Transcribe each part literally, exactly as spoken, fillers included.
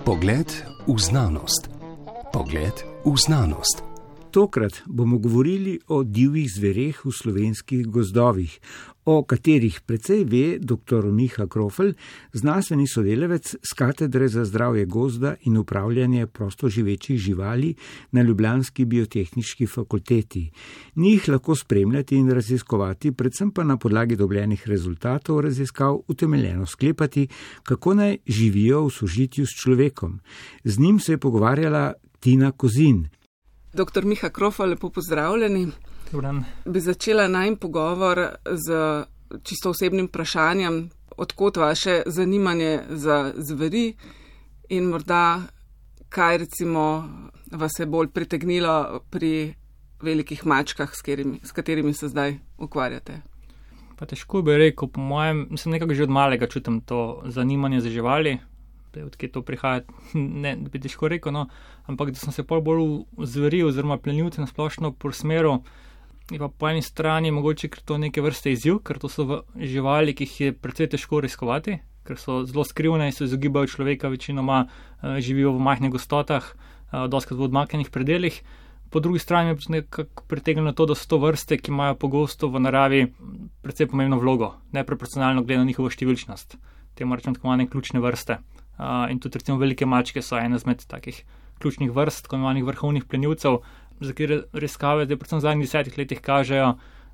Pogled v znanost. Pogled v znanost. Tokrat bomo govorili o divjih zvereh v slovenskih gozdovih, o katerih precej ve dr. Miha Krofl, znanstveni sodelavec z Katedre za zdravje gozda in upravljanje prostoživečih živali na ljubljanski biotehniški fakulteti. Njih lahko spremljati in raziskovati, predvsem pa na podlagi dobljenih rezultatov raziskav utemeljeno sklepati, kako naj živijo v sožitju s človekom. Z njim se je pogovarjala Tina Kozin. Doktor Miha Krofl, lepo pozdravljeni. Dobran. Bi začela najin pogovor z čisto osebnim vprašanjem, odkot vaše zanimanje za zveri in morda kaj recimo vas je bolj pritegnilo pri velikih mačkah, s katerimi, s katerimi se zdaj ukvarjate. Pa težko bi rekel, po mojem, mislim nekako že od malega čutim to zanimanje za živali. Odkje to prihaja, ne bi težko rekel, no, ampak da sem se pol bolj v zveri oziroma plenilce nasplošno prosmeru, je pa po eni strani mogoče, ker to neke vrste izziv, ker to so živali, ki jih je precej težko riskovati, ker so zelo skrivne in se izogibajo človeka, večinoma uh, živijo v majhnih gostotah, uh, doskrat v odmaknjenih predelih. Po drugi strani je nekako pritegnilo to, da so to vrste, ki imajo pogosto v naravi precej pomembno vlogo, neproporcionalno glede na njihovo številčnost. Te morajo tako imenovane ključne vrste. Uh, in tudi recimo velike mačke so ena izmed takih ključnih vrst, tako imenovanih vrhovnih plenilcev, za katere raziskave zdaj predvsem v zadnjih desetih letih kažejo,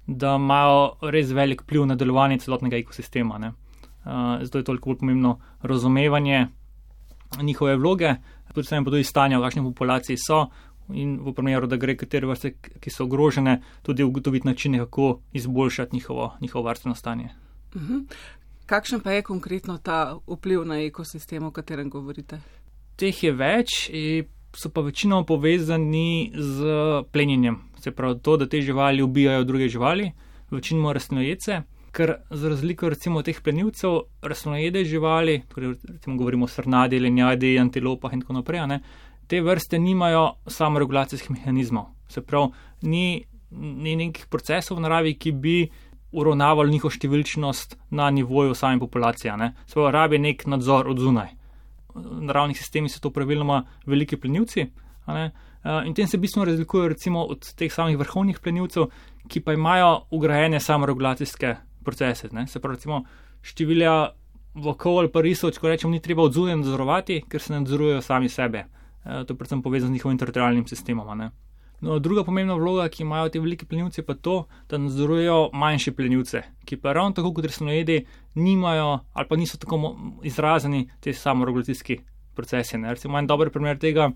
da imajo res velik vpliv na delovanje celotnega ekosistema. Ne? Uh, zato je toliko bolj pomembno razumevanje njihove vloge, predvsem pa tudi stanja, v kakšni populaciji so in v primeru, da gre katere vrste, ki so ogrožene, tudi ugotoviti načine, kako izboljšati njihovo, njihovo varstveno stanje. Uh-huh. Kakšen pa je konkretno ta vpliv na ekosistem, o katerem govorite? Teh je več, so pa večinoma povezani z plenjenjem. Se pravi to, da te živali ubijajo druge živali, večinoma rastlinojede, ker za razliko recimo teh plenilcev, rastlinojede živali, torej recimo govorimo o srnadi, lenjadi, antilopah in tako naprej, ne, te vrste nimajo samoregulacijskih mehanizmov. Se pravi, ni, ni nekih procesov v naravi, ki bi uravnavali njihovo številčnost na nivoju same populacije. Svojo rabi nek nadzor od zunaj. V naravnih sistemih so to praviloma veliki plenilci, in tem se bistveno razlikujejo recimo od teh samih vrhovnih plenilcev, ki pa imajo ugrajene samoregulacijske procese. Ne? Se pravi, recimo številja volkov ali pa risov, če rečem, ni treba od zunaj nadzorovati, ker se nadzorujejo sami sebe. To je predvsem povezano z njihovim teritorialnim sistemom. Ne? No, druga pomembna vloga, ki imajo te veliki plenilci, pa to, da nadzorujejo manjše plenilce, ki pa ravno tako kot rastlinojedi nimajo ali pa niso tako izraženi te samoregulacijski procesi. Ne. Recimo, en dober primer tega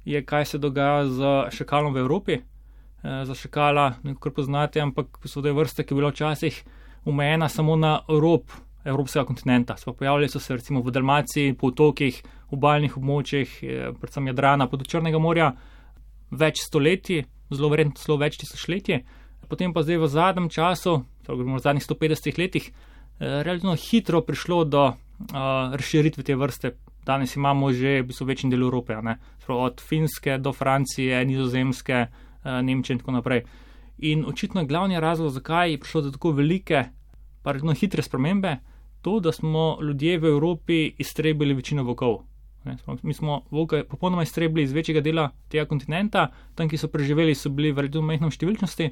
je, kaj se dogaja z šakalom v Evropi. E, za šakala, nekako poznate, ampak so te vrste, ki je bila včasih omejena samo na rob evropskega kontinenta. So pojavljali so se recimo v Dalmaciji, po otokih, obalnih območjih, predvsem Jadrana, pod Črnega morja, več stoletij, zelo verjetno zelo več tisočletij, potem pa zdaj v zadnjem času, v zadnjih sto petdesetih letih, eh, relativno hitro prišlo do eh, razširitve te vrste. Danes imamo že v bistvu večji del Evrope, ne? Od Finske do Francije, Nizozemske, eh, Nemčije in tako naprej. In očitno glavni razlog, zakaj je prišlo do tako velike, pa relativno hitre spremembe, to, da smo ljudje v Evropi iztrebili večino volkov. Mi smo volke popolnoma iztrebili iz večjega dela tega kontinenta, tam, ki so preživeli, so bili v relativno majhni številčnosti.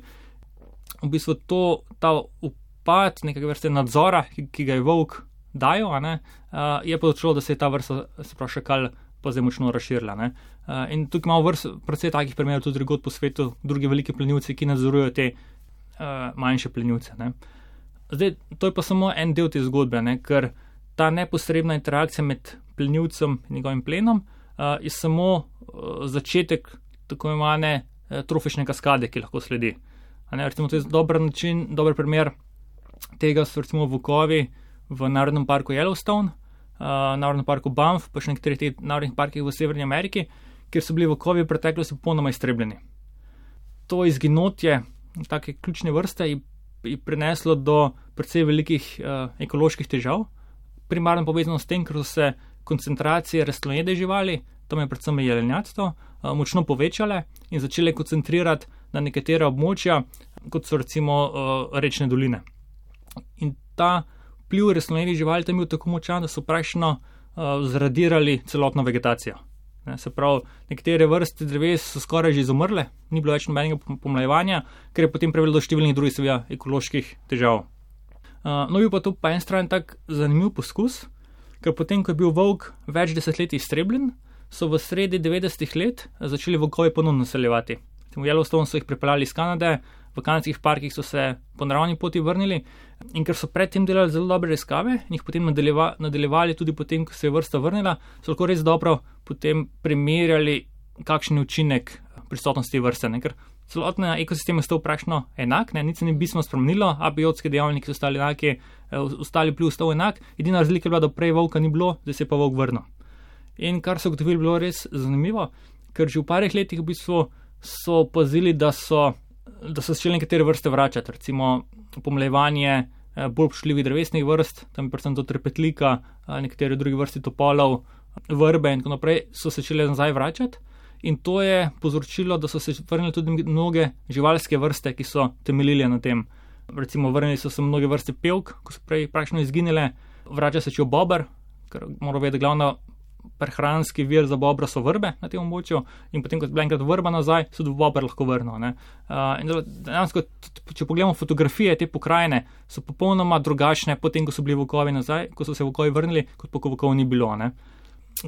V bistvu to, ta upad nekega vrste nadzora, ki, ki ga je volk dajo, a ne, je povzročilo, da se je ta vrsta, se pravi šakal, pa zdaj močno razširila. Ne. In tukaj imamo vrst, precej takih primerov tudi drugod po svetu, drugi veliki plenilci, ki nadzorujejo te uh, manjše plenilce. Ne. Zdaj, to je pa samo en del te zgodbe, ne, ker ta neposredna interakcija med plenilcem in njegovim plenom uh, je samo uh, začetek tako imenovane uh, trofične kaskade, ki lahko sledi. Ne, recimo, to je dober način, dober primer tega so recimo volkovi v Narodnem parku Yellowstone, uh, Narodnem parku Banff, pa še nekaterih teh narodnih parkih v Severni Ameriki, kjer so bili volkovi v preteklosti popolnoma iztrebljeni. To izginotje take ključne vrste je, je prineslo do precej velikih uh, ekoloških težav, primarno povezano s tem, ker so se koncentracije rastlinojede živali, tam je predvsem jelenjadstvo, močno povečale in začele koncentrirati na nekatera območja, kot so recimo rečne doline. In ta vpliv rastlinojedi živali tam je bil tako močan, da so praktično uh, zradirali celotno vegetacijo. Ne, se pravi, nekatere vrste dreves so skoraj že izumrle, ni bilo več nobenega pomlajevanja, ker je potem privedlo do številnih drugih seveda ekoloških težav. Uh, no, bil pa to pa en stran tak zanimiv poskus, ker potem, ko je bil volk več desetletij iztrebljen, so v sredi devetdesetih let začeli volkovi ponovno naseljevati. V Yellowstone so jih pripeljali iz Kanade, v kanadskih parkih so se po naravni poti vrnili in ker so predtem delali zelo dobre raziskave in jih potem nadaljeva, nadaljevali tudi potem, ko se je vrsta vrnila, so lahko res dobro potem primerjali, kakšen je učinek prisotnosti vrste, ne? Ker celotna ekosistem je stal praktično enak, ne? Nič se ni bistveno spremenilo, abiotski dejavniki so ostali enaki, ostali vpliv stal enak, edina razlika je bila, da prej volka ni bilo, zdaj se je pa volk vrnil. In kar so ugotovili, bilo res zanimivo, ker že v parih letih v bistvu so opazili, da so, da so začeli nekatere vrste vračati, recimo pomlajevanje bolj občutljivih drevesnih vrst, tam je predvsem to trepetlika, nekatere druge vrste topolov, vrbe in tako naprej, so se začeli nazaj vračati. In to je povzročilo, da so se vrnili tudi mnoge živalske vrste, ki so temeljile na tem. Recimo vrnili so se mnoge vrste pevk, ko so prej praktično izginile, vrača se čel bober, ker moramo vedeti, glavna prehranski vir za bobra so vrbe na tem območju in potem, ko je bila enkrat vrba nazaj, so tudi bober lahko vrnil. Ne. Uh, in dejansko, če pogledamo fotografije te pokrajine, so popolnoma drugačne potem, ko so bili volkovi nazaj, ko so se volkovi vrnili, kot pa ko volkov ni bilo. Ne.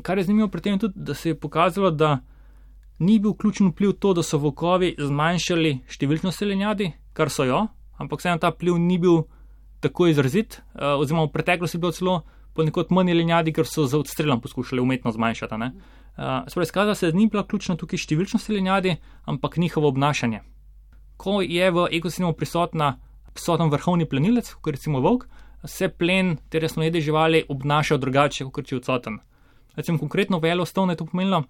Kar je zanimivo pri tem je tudi, da se je pokazalo, da ni bil ključen vpliv to, da so volkovi zmanjšali številčnost jelenjadi, kar so jo, ampak vseeno ta vpliv ni bil tako izrazit, uh, oziroma v preteklosti je bilo celo ponekod manj jelenjadi, ker so za odstrelom poskušali umetno zmanjšati. Ne? Uh, Spravo izkazalo se, da ni bila ključna tukaj številčnost jelenjadi, ampak njihovo obnašanje. Ko je v ekosistemu prisotna prisoten vrhovni plenilec, kot recimo volk, se plen te resnojede živali obnašajo drugače, kot če je odsoten. Recimo konkretno v Yellowstone je to pomenilo,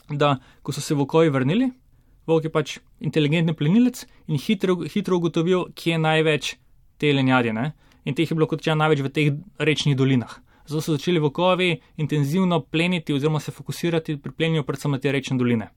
da ko so se volkovi vrnili, volk je pač inteligentni plenilec in hitro, hitro ugotovil, kje je največ te jelenjadi, ne? In teh je bilo kot če največ v teh rečnih dolinah. Zato so začeli volkovi intenzivno pleniti oziroma se fokusirati pri plenjenju predvsem na te rečne doline.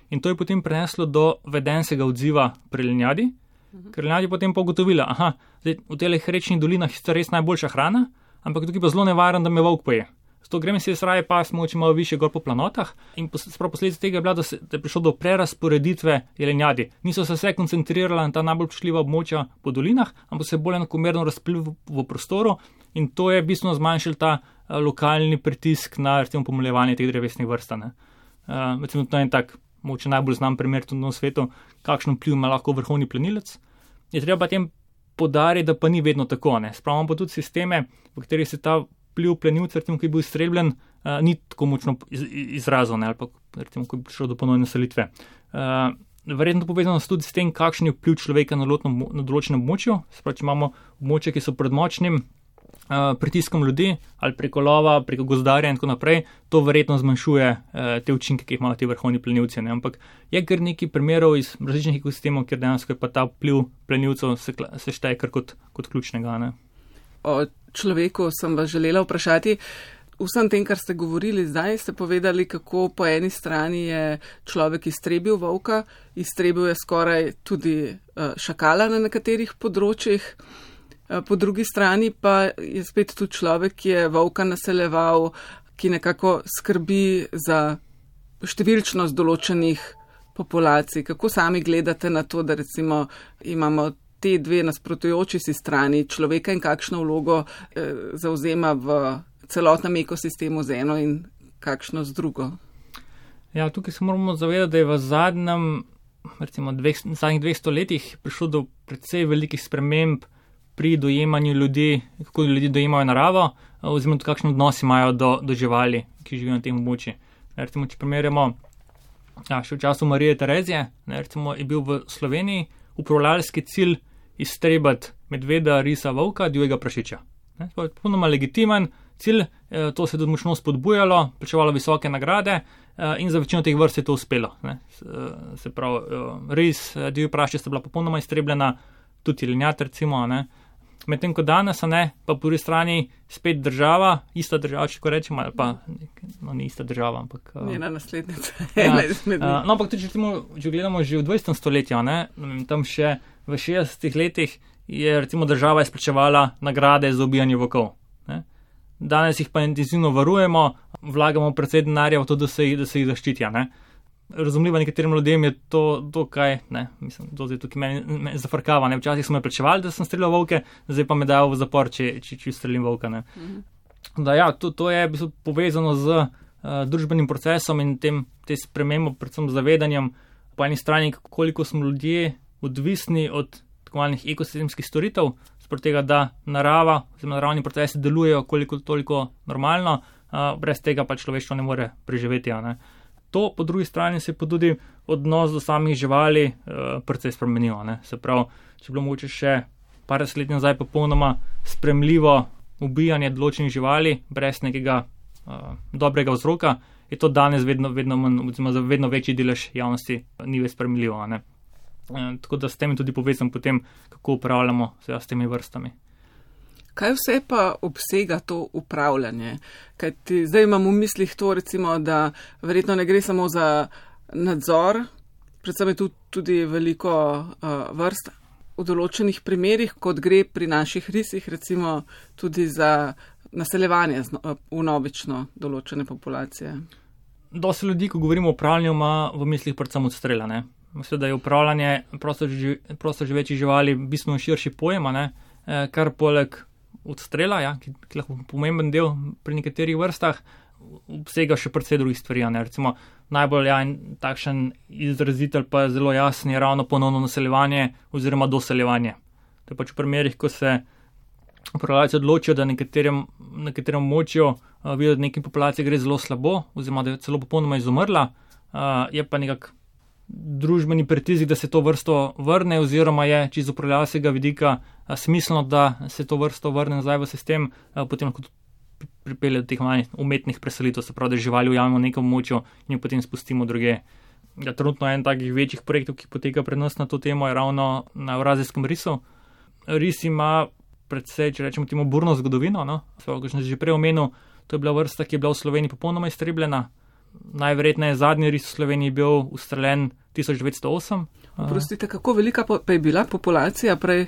In to je potem preneslo do vedenskega odziva pri jelenjadi, mhm. ker jelenjadi potem pa ugotovila, aha, zdaj, v teh rečnih dolinah je res najboljša hrana, ampak tukaj pa zelo nevaren, da me volk poje. Zato gremo si raje pas mogoče malo više gor po planotah in sprav posledica tega je bila, da, se, da je prišlo do prerasporeditve jelenjadi. Niso se vse koncentrirala na ta najbolj občutljiva območja po dolinah, ampak se bolj enakomerno razplil v, v prostoru in to je bistveno zmanjšal ta uh, lokalni pritisk na recimo pomlajevanje teh drevesnih vrst. Uh, recimo to je en tak, mogoče najbolj znam primer tudi na svetu, kakšen vpliv ima lahko vrhovni plenilec. Je treba tem podariti, da pa ni vedno tako. Spravimo pa tudi sisteme, v katerih se ta vpliv plenilca, recimo, ki je bil izstrebljen, uh, ni tako močno iz, izrazil, ali pa recimo, ko je prišlo do ponovne naselitve. Uh, verjetno povezano tudi s tem, kakšen je vpliv človeka na, lotno, na določenem območju. Sprav, če imamo območje, ki so pred močnim uh, pritiskom ljudi ali preko lova, preko gozdarja in tako naprej, to verjetno zmanjšuje uh, te učinke, ki jih imajo ti vrhovni plenilci. Ne? Ampak je kar nekaj primerov iz različnih ekosistemov, kjer dejansko je pa ta vpliv plenilcev se, se šteje kar kot, kot ključnega. Ne? O človeku sem vas želela vprašati. Vsem tem, kar ste govorili zdaj, ste povedali, kako po eni strani je človek iztrebil volka, iztrebil je skoraj tudi šakala na nekaterih področjih, po drugi strani pa je spet tudi človek, ki je volka naseljeval, ki nekako skrbi za številčnost določenih populacij. Kako sami gledate na to, da recimo imamo te dve nasprotujoči si strani človeka in kakšno vlogo eh, zauzema v celotnem ekosistemu z eno in kakšno z drugo? Ja, tukaj se moramo zavedati, da je v zadnjem, recimo dveh, zadnjih dveh stoletjih prišlo do precej velikih sprememb pri dojemanju ljudi, kako ljudi dojemajo naravo, oziroma tudi kakšen odnos imajo do, do živali, ki živijo na tem območju. Recimo, če primerjamo, ja, še v času Marije Terezije, ne, recimo, je bil v Sloveniji upravljalski cilj iztrebati medveda, risa, volka, divjega prašiča. Popolnoma legitimen cilj, to se je tudi močno spodbujalo, plačevalo visoke nagrade in za večino teh vrst je to uspelo. Ne. Se pravi, ris, divji prašič sta bila popolnoma iztrebljena, tudi jelenjad recimo. Ne. Medtem ko danes, ne, pa po drugi strani spet država, ista država, če ko rečemo, ali pa no, ni ista država, ampak njena naslednica. Ja, no, ampak tudi, če gledamo že v dvajsetem stoletju, ne, tam še v šestdesetih letih je recimo država izplačevala nagrade za ubijanje volkov. danes jih pa intenzivno varujemo, vlagamo predvsej denarja v to, da se jih, da se jih zaščitijo. Ne. Razumljivo nekaterim ljudem je to, to kaj, ne, mislim, to zdaj tukaj meni, meni zafrkava, ne, včasih so me plačevali, da sem streljal volke, zdaj pa me dajo v zapor, če, če, če streljim volka, ne. Mhm. Da ja, to, to je povezano z uh, družbenim procesom in tem, te spremembo, predvsem zavedanjem, po eni strani, koliko smo ljudje odvisni od tako malih ekosistemskih storitev, spod tega, da narava, oziroma naravni procesi delujejo koliko toliko normalno, uh, brez tega pa človeštvo ne more preživeti, ne. To, po drugi strani, se je pa tudi odnos do samih živali uh, precej spremenil. Ne. Se pravi, če bilo mogoče še par deset nazaj popolnoma spremljivo ubijanje določenih živali brez nekega uh, dobrega vzroka, je to danes vedno, vedno, manj, za vedno večji delež javnosti ni več spremljivo. Ne. Uh, tako da s tem tudi povezam potem, kako upravljamo s temi vrstami. Kaj vse pa obsega to upravljanje? Kaj ti, zdaj imam v mislih to, recimo, da verjetno ne gre samo za nadzor, predvsem je tu tudi veliko uh, vrst v določenih primerih, kot gre pri naših risih, recimo tudi za naseljevanje vnovično določene populacije. Dosti ljudi, ko govorimo o upravljanju, ima v mislih predvsem odstrela. Ne? Mislim, da je upravljanje prostoživečih živali bistveno širši pojem, ne? Kar poleg odstrela, ja, ki je lahko pomemben del pri nekaterih vrstah, obsega še precej drugih stvari. Ne. Recimo najbolj ja, takšen izrazitelj pa je zelo jasen je ravno ponovno naseljevanje oziroma doseljevanje. To je pač v primerih, ko se upravljalci odločijo, da nekaterem, nekaterem območju uh, vidijo, da nekim populaciji gre zelo slabo oziroma da je celo popolnoma izumrla, uh, je pa nekak družbeni pritisk, da se to vrsto vrne oziroma je čisto z upravljalskega vidika a, smiselno, da se to vrsto vrne nazaj v sistem, a, potem lahko pripelje do teh malih umetnih preselitev, se pravi, da živali ujamemo v nekem območju in jo potem spustimo druge. Ja, trenutno en takih večjih projektov, ki poteka pred nas na to temo, je ravno na Evrazijskem risu. Ris ima predvsej, če rečemo temu, burno zgodovino, no? Svo, kot sem že prej omenil, to je bila vrsta, ki je bila v Sloveniji popolnoma iztrebljena. Najverjetneje zadnji ris v Sloveniji bil ustreljen tisoč devetsto osem. Prostite, kako velika pa je bila populacija prej,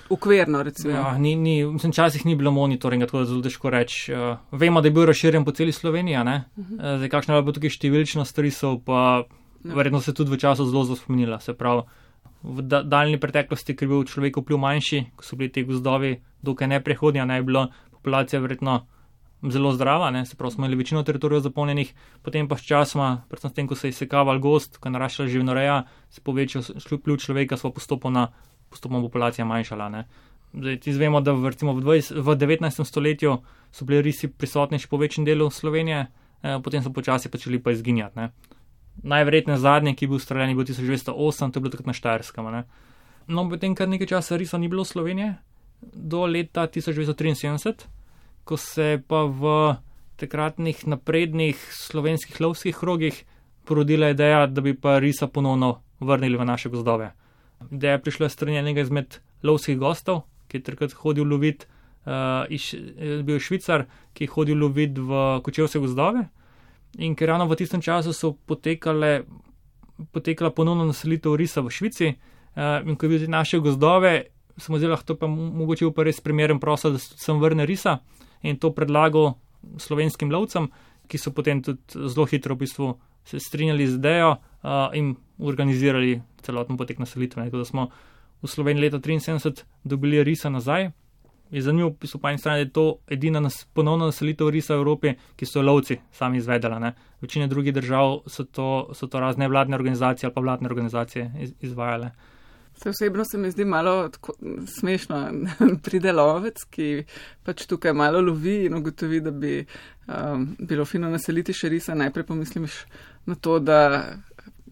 ukverno recimo? Ja, ni, ni, mislim, časih ni bilo monitoringa, tako da zelo težko reči. Uh, vemo, da je bil razširjen po celi Sloveniji, ne? Uh-huh. Uh, zdaj, kakšna je bila tukaj številčnost risov, pa no. Verjetno se tudi v času zelo zaspomenila. Se pravi, v da, daljni preteklosti, ker je bil človek vpliv manjši, ko so bili te gozdovi dokaj neprehodni, ne je bila populacija verjetno zelo zdrava, ne, se pravi, smo imeli večino teritorijev zapolnjenih, potem pa s časoma, predvsem s tem, ko se je izsekaval gozd, ko je naraščala živinoreja, se povečal vpliv človeka, sva postopoma, postopoma populacija manjšala. Ne. Zdaj, ti zvemo, da v, recimo v, dvajset, v devetnajstem stoletju so bili risi prisotni še po večjem delu Slovenije, eh, potem so počasi začeli pa izginjati. Ne. Najverjetneje zadnji, ki je bil streljen, je bil tisoč devetsto osem, to je bilo takrat na Štajerskem. Ne. No, potem kar nekaj časa risov ni bilo v Slovenije, do leta tisoč devetsto triinsedemdeset, ko se pa v takratnih naprednih slovenskih lovskih krogih porodila ideja, da bi pa risa ponovno vrnili v naše gozdove. Ideja je prišla strani enega izmed lovskih gostov, ki je takrat hodil lovit, uh, iš, bil Švicar, ki je hodil lovit v kočevske gozdove in ker ravno v tistem času so potekale, potekala ponovno naselitev risa v Švici uh, in ko je videl naše gozdove, smo zdaj lahko to pa mogoče pa res primeren prostor, da sem vrne risa. In to predlagal slovenskim lovcem, ki so potem tudi zelo hitro v bistvu se strinjali z idejo uh, in organizirali celoten potek naselitve. Tako da smo v Sloveniji leta triinsedemdeset dobili risa nazaj. Je zanimivo, v bistvu po eni strani, da je to edina nas, ponovna naselitev risa v Evropi, ki so lovci sami izvedela. Ne. Večine drugih držav so to, so to razne vladne organizacije ali pa vladne organizacije iz, izvajale. Se osebno se mi zdi malo tako smešno, pride lovec, ki pač tukaj malo lovi in ugotovi, da bi um, bilo fino naseliti še risa. Najprej pomisliš na to, da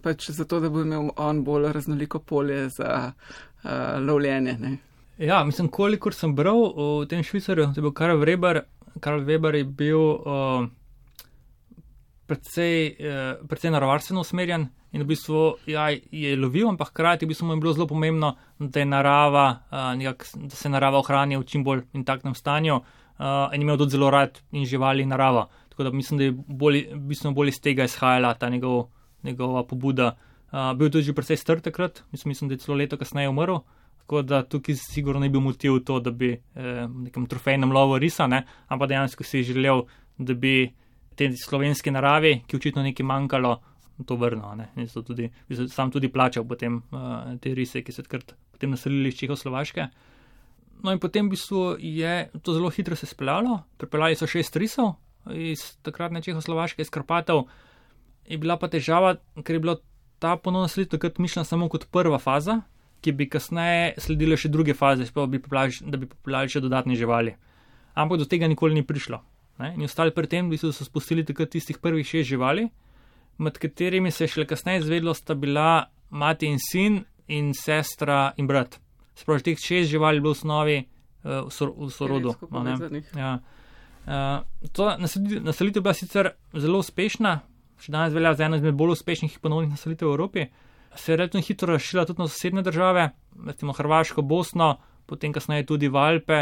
pač zato, da bo imel on bolj raznoliko polje za uh, lovljenje. Ne? Ja, mislim, kolikor sem bral o tem Švicarju, to je bil Karl Weber. Karl Weber je bil uh, predvsej, uh, predvsej naravarstveno usmerjen. In v bistvu ja, je lovil, ampak hkrati v bistvu mu je bilo zelo pomembno, da, je narava, uh, nekak, da se narava ohrani v čim bolj intaktnem stanju uh, in imel tudi zelo rad in živali in narava. Tako da mislim, da je bolj, bistveno bolj iz tega izhajala ta njegov, njegova pobuda. Uh, bil tudi že precej star takrat, mislim, mislim, da je celo leto kasneje umrl, Tako da tukaj sigurno ne bi bil motiv to, da bi eh, v nekem trofejnem lovu risa, ne, ampak dejansko si želel, da bi te slovenski naravi, ki očitno nekaj manjkalo, to vrnil. Ne. In so tudi, sam tudi plačal potem uh, te rise, ki so takrat potem naselili iz Čehoslovaške. No in potem v bistvu je to zelo hitro se speljalo, pripeljali so šest risov iz takratne Čehoslovaške, iz Karpatov. Je bila pa težava, ker je bila ta ponovna selitev takrat mišljena samo kot prva faza, ki bi kasneje sledile še druge faze, da bi pripeljali še dodatne živali. Ampak do tega nikoli ni prišlo. Ne? In ostali pri tem, so spustili takrat tistih prvih šest živali, med katerimi se je šele kasneje izvedlo, sta bila mati in sin in sestra in brat. Spravi, teh šest živali je bilo v osnovi uh, v, sor, v sorodu. Ja. Uh, to naselitev je bila sicer zelo uspešna, še danes velja za eno izmed bolj uspešnih ponovnih naselitev v Evropi. Se je relativno hitro razširila tudi na sosednje države, recimo Hrvaško, Bosno, potem kasneje tudi v Alpe,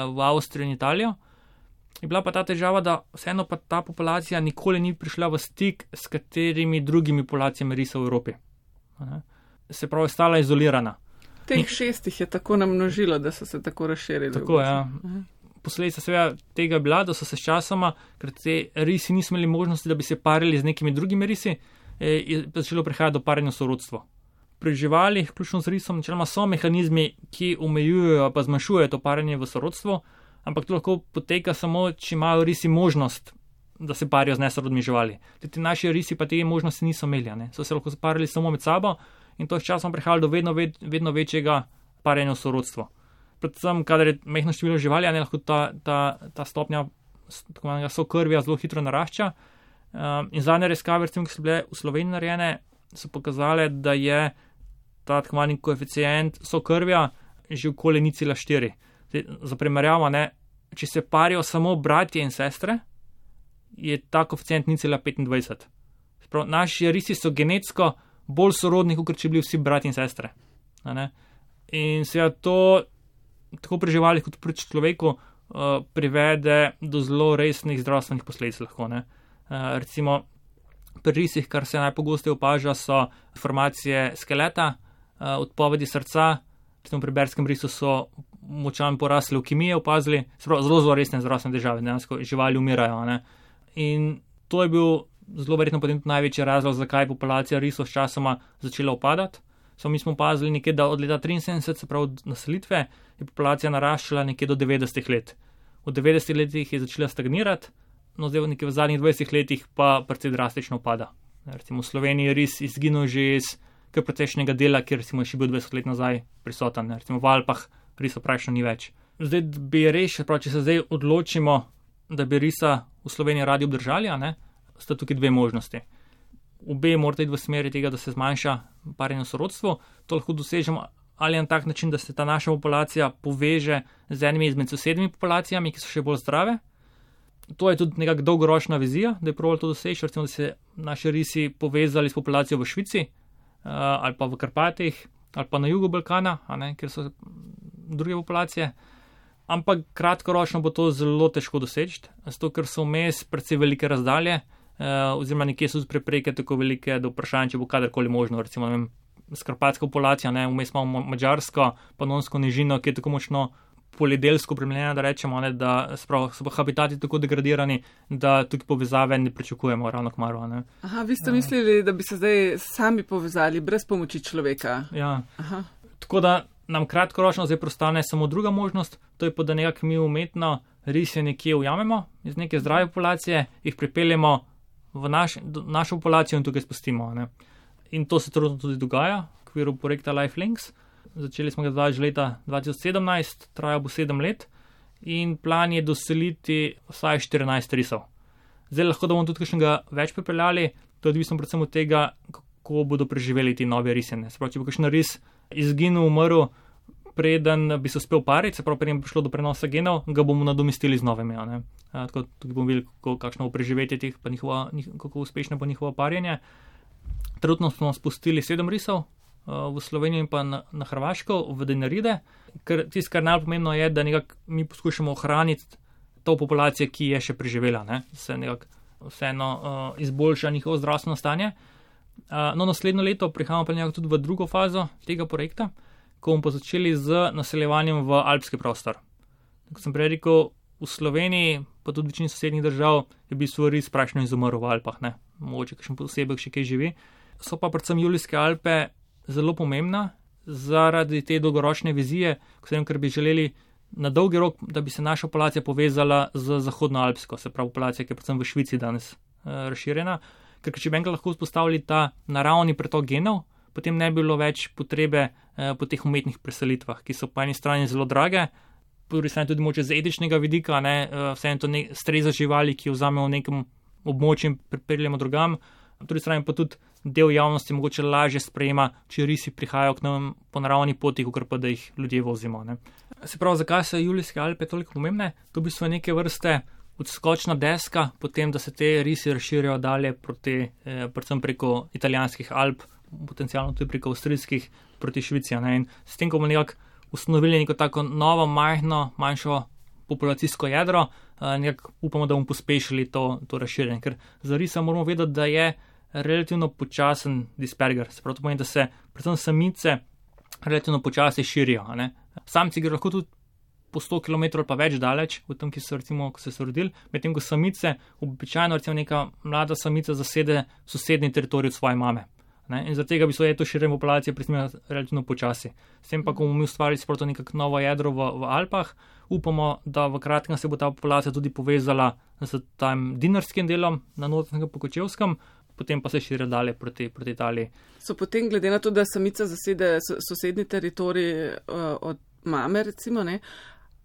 v Avstrijo in Italijo. Je bila pa ta težava, da vseeno pa ta populacija nikoli ni prišla v stik s katerimi drugimi populacijami risa v Evropi. Se pravi, stala izolirana. Teh šestih je tako namnožilo, da so se tako razširili. Tako, ja. Posledica seveda tega je bila, da so se s časoma, ker te risi niso imeli možnosti, da bi se parili z nekimi drugimi risi, je začelo prihajati do parjenja v sorodstvo. Pri živalih, vključno z risom, načeloma so mehanizmi, ki omejujejo pa zmanjšujejo to parjenje v sorodstvo, ampak to lahko poteka samo, če imajo risi možnost, da se parijo z nesorodnimi živali. Ti naši risi pa te možnosti niso imeli, ne? So se lahko parili samo med sabo in to je s časom prihajalo do vedno, ved, vedno večjega parjenja v sorodstvo. Predvsem, kadar je majhno število živali, ne lahko ta, ta, ta stopnja tako manjega sokrvja zelo hitro narašča. Um, in zadnje raziskave, ki so bile v Sloveniji narejene, so pokazale, da je ta tako manjši koeficient sokrvja že okoli nič cela štiri. Za primerjavo, ne, če se parijo samo bratje in sestre, je ta koeficient nič cela petindvajset. Sprav, naši risi so genetsko bolj sorodni, kot če bili vsi bratje in sestre. In seveda to tako pri živalih kot pri človeku uh, privede do zelo resnih zdravstvenih posledic lahko. Ne? Uh, recimo pri risih, kar se najpogosteje opaža, so deformacije skeleta, uh, odpovedi srca, recimo pri berskem risu so močan porast levkemije opazili, zelo, zelo resne zdravstvene težave, dejansko živali umirajo. Ne? In to je bil zelo verjetno potem največji razlog, zakaj je populacija risov s časoma začela upadati. So mi smo opazili nekje, da od leta triinsedemdeset, se pravi od naselitve, je populacija naraščala nekje do devetdesetih let. V devetdesetih letih je začela stagnirati, no zdaj nekje v zadnjih dvajsetih letih pa precej drastično upada. Recimo v Sloveniji je ris izginil že iz kar precejšnjega dela, kjer recimo je še bil dvajset let nazaj prisoten. Recimo v Alpah risa praktično ni več. Zdaj bi res, prav, če se zdaj odločimo, da bi risa v Sloveniji radi obdržali, a ne, sta tukaj dve možnosti. Obe morate iti v smeri tega, da se zmanjša parjenje v sorodstvu. To lahko dosežemo ali na tak način, da se ta naša populacija poveže z enimi izmed sosednjimi populacijami, ki so še bolj zdrave. To je tudi nekak dolgoročna vizija, da je probali to doseči, recimo, da se naši risi povezali s populacijo v Švici ali pa v Karpatih ali pa na jugu Balkana, a ne, kjer so druge populacije. Ampak kratkoročno bo to zelo težko doseči, zato ker so vmes precej velike razdalje, Uh, oziroma nekje so prepreke tako velike, da vprašanje, če bo kadarkoli možno, recimo, ne vem, skarpatska populacija, ne, vmes imamo Madžarsko, Panonsko nižino, ki je tako močno poljedelsko opremljena, da rečemo, ne, da sprav, so pa habitati tako degradirani, da tukaj povezave ne pričakujemo ravno kmaru. Ne. Aha, vi ste uh. mislili, da bi se zdaj sami povezali brez pomoči človeka. Ja, Aha. Tako da nam kratkoročno zdaj prostane samo druga možnost, to je pa, da nekak mi umetno rise nekje ujamemo iz neke zdrave populacije, jih pripeljemo v naš, našo populacijo in tukaj spustimo. Ne. In to se tudi dogaja v okviru projekta LifeLinks. Začeli smo ga že leta dva tisoč sedemnajst, traja bo sedem let in plan je doseliti vsaj štirinajst risov. Zdaj lahko, da bomo tudi kakšnega več pripeljali, to je odvisno predvsem od tega, kako bodo preživeli ti novi risene. Se pravi, če bo kakšen ris izginil, umrl, preden bi se uspel pariti, se pravi, preden bi prišlo do prenosa genov, ga bomo nadomestili z novimi. Ne? A, tako tudi bomo videli, kako, kakšno bo preživetje teh, pa njihova, kako uspešno bo njihovo parjenje. Trenutno smo spustili sedem risov uh, v Slovenijo in pa na, na Hrvaško, v Dinaride, ker tisto, kar najpomembno je, da nekako mi poskušamo ohraniti to populacijo, ki je še preživela, ne? Se nekako vseeno uh, izboljša njihovo zdravstveno stanje. Uh, no, naslednjo leto prihajamo pa nekako tudi v drugo fazo tega projekta, ko bomo pa začeli z naseljevanjem v alpski prostor. Kot sem prej rekel, v Sloveniji, pa tudi v večini sosednjih držav, je v bistvu res praktično izumrl v Alpah, ne. Mogoče kakšen posebej še kaj živi. So pa predvsem Julijske Alpe zelo pomembna zaradi te dolgoročne vizije, ker bi želeli na dolgi rok, da bi se naša populacija povezala z zahodnoalpsko, se pravi populacija, ki je predvsem v Švici danes uh, razširjena. Ker če bi enkrat lahko vzpostavili ta naravni pretok genov, potem ne bi bilo več potrebe uh, po teh umetnih preselitvah, ki so po eni strani zelo drage, po drugi strani tudi moče z etičnega vidika, ne, uh, vseeno to ne, streza živali, ki jo vzamemo v nekem območju in pripeljemo drugam, po drugi strani pa tudi del javnosti mogoče lažje sprejema, če risi prihajajo k nam po naravni poti, kot pa da jih ljudje vozimo. Ne. Se pravi, zakaj so Julijske Alpe toliko pomembne? To bi so neke vrste odskočna deska, potem, da se te risi razširijo dalje proti, eh, predvsem preko italijanskih Alp, potencialno tudi preko avstrijskih proti Švici. Ne. In s tem, ko bomo nekako ustanovili neko tako novo, majhno, manjšo populacijsko jedro, eh, nekako upamo, da bomo pospešili to, to razširjenje. Ker za risa moramo vedeti, da je relativno počasen disperger. Se pravi, to pomeni, da se predvsem samice relativno počasi širijo. Ne. Samci gre lahko tudi po sto kilometrov pa več daleč, v tem, ki so recimo, ko so se rodili, medtem ko samice, običajno recimo neka mlada samica zasede sosednji teritorij od svoje mame. Ne? In zaradi tega bi se to širjenje populacije presmela relativno počasi. S tem pa, ko bomo mi ustvarili sproti nekako novo jedro v, v Alpah, upamo, da v kratkem se bo ta populacija tudi povezala z tam dinarskim delom na Notranjskem Pokočevskem, potem pa se širi dalje proti, proti Italiji. So potem, glede na to, da samica zasede sosednji teritorij uh, od mame, recimo, ne,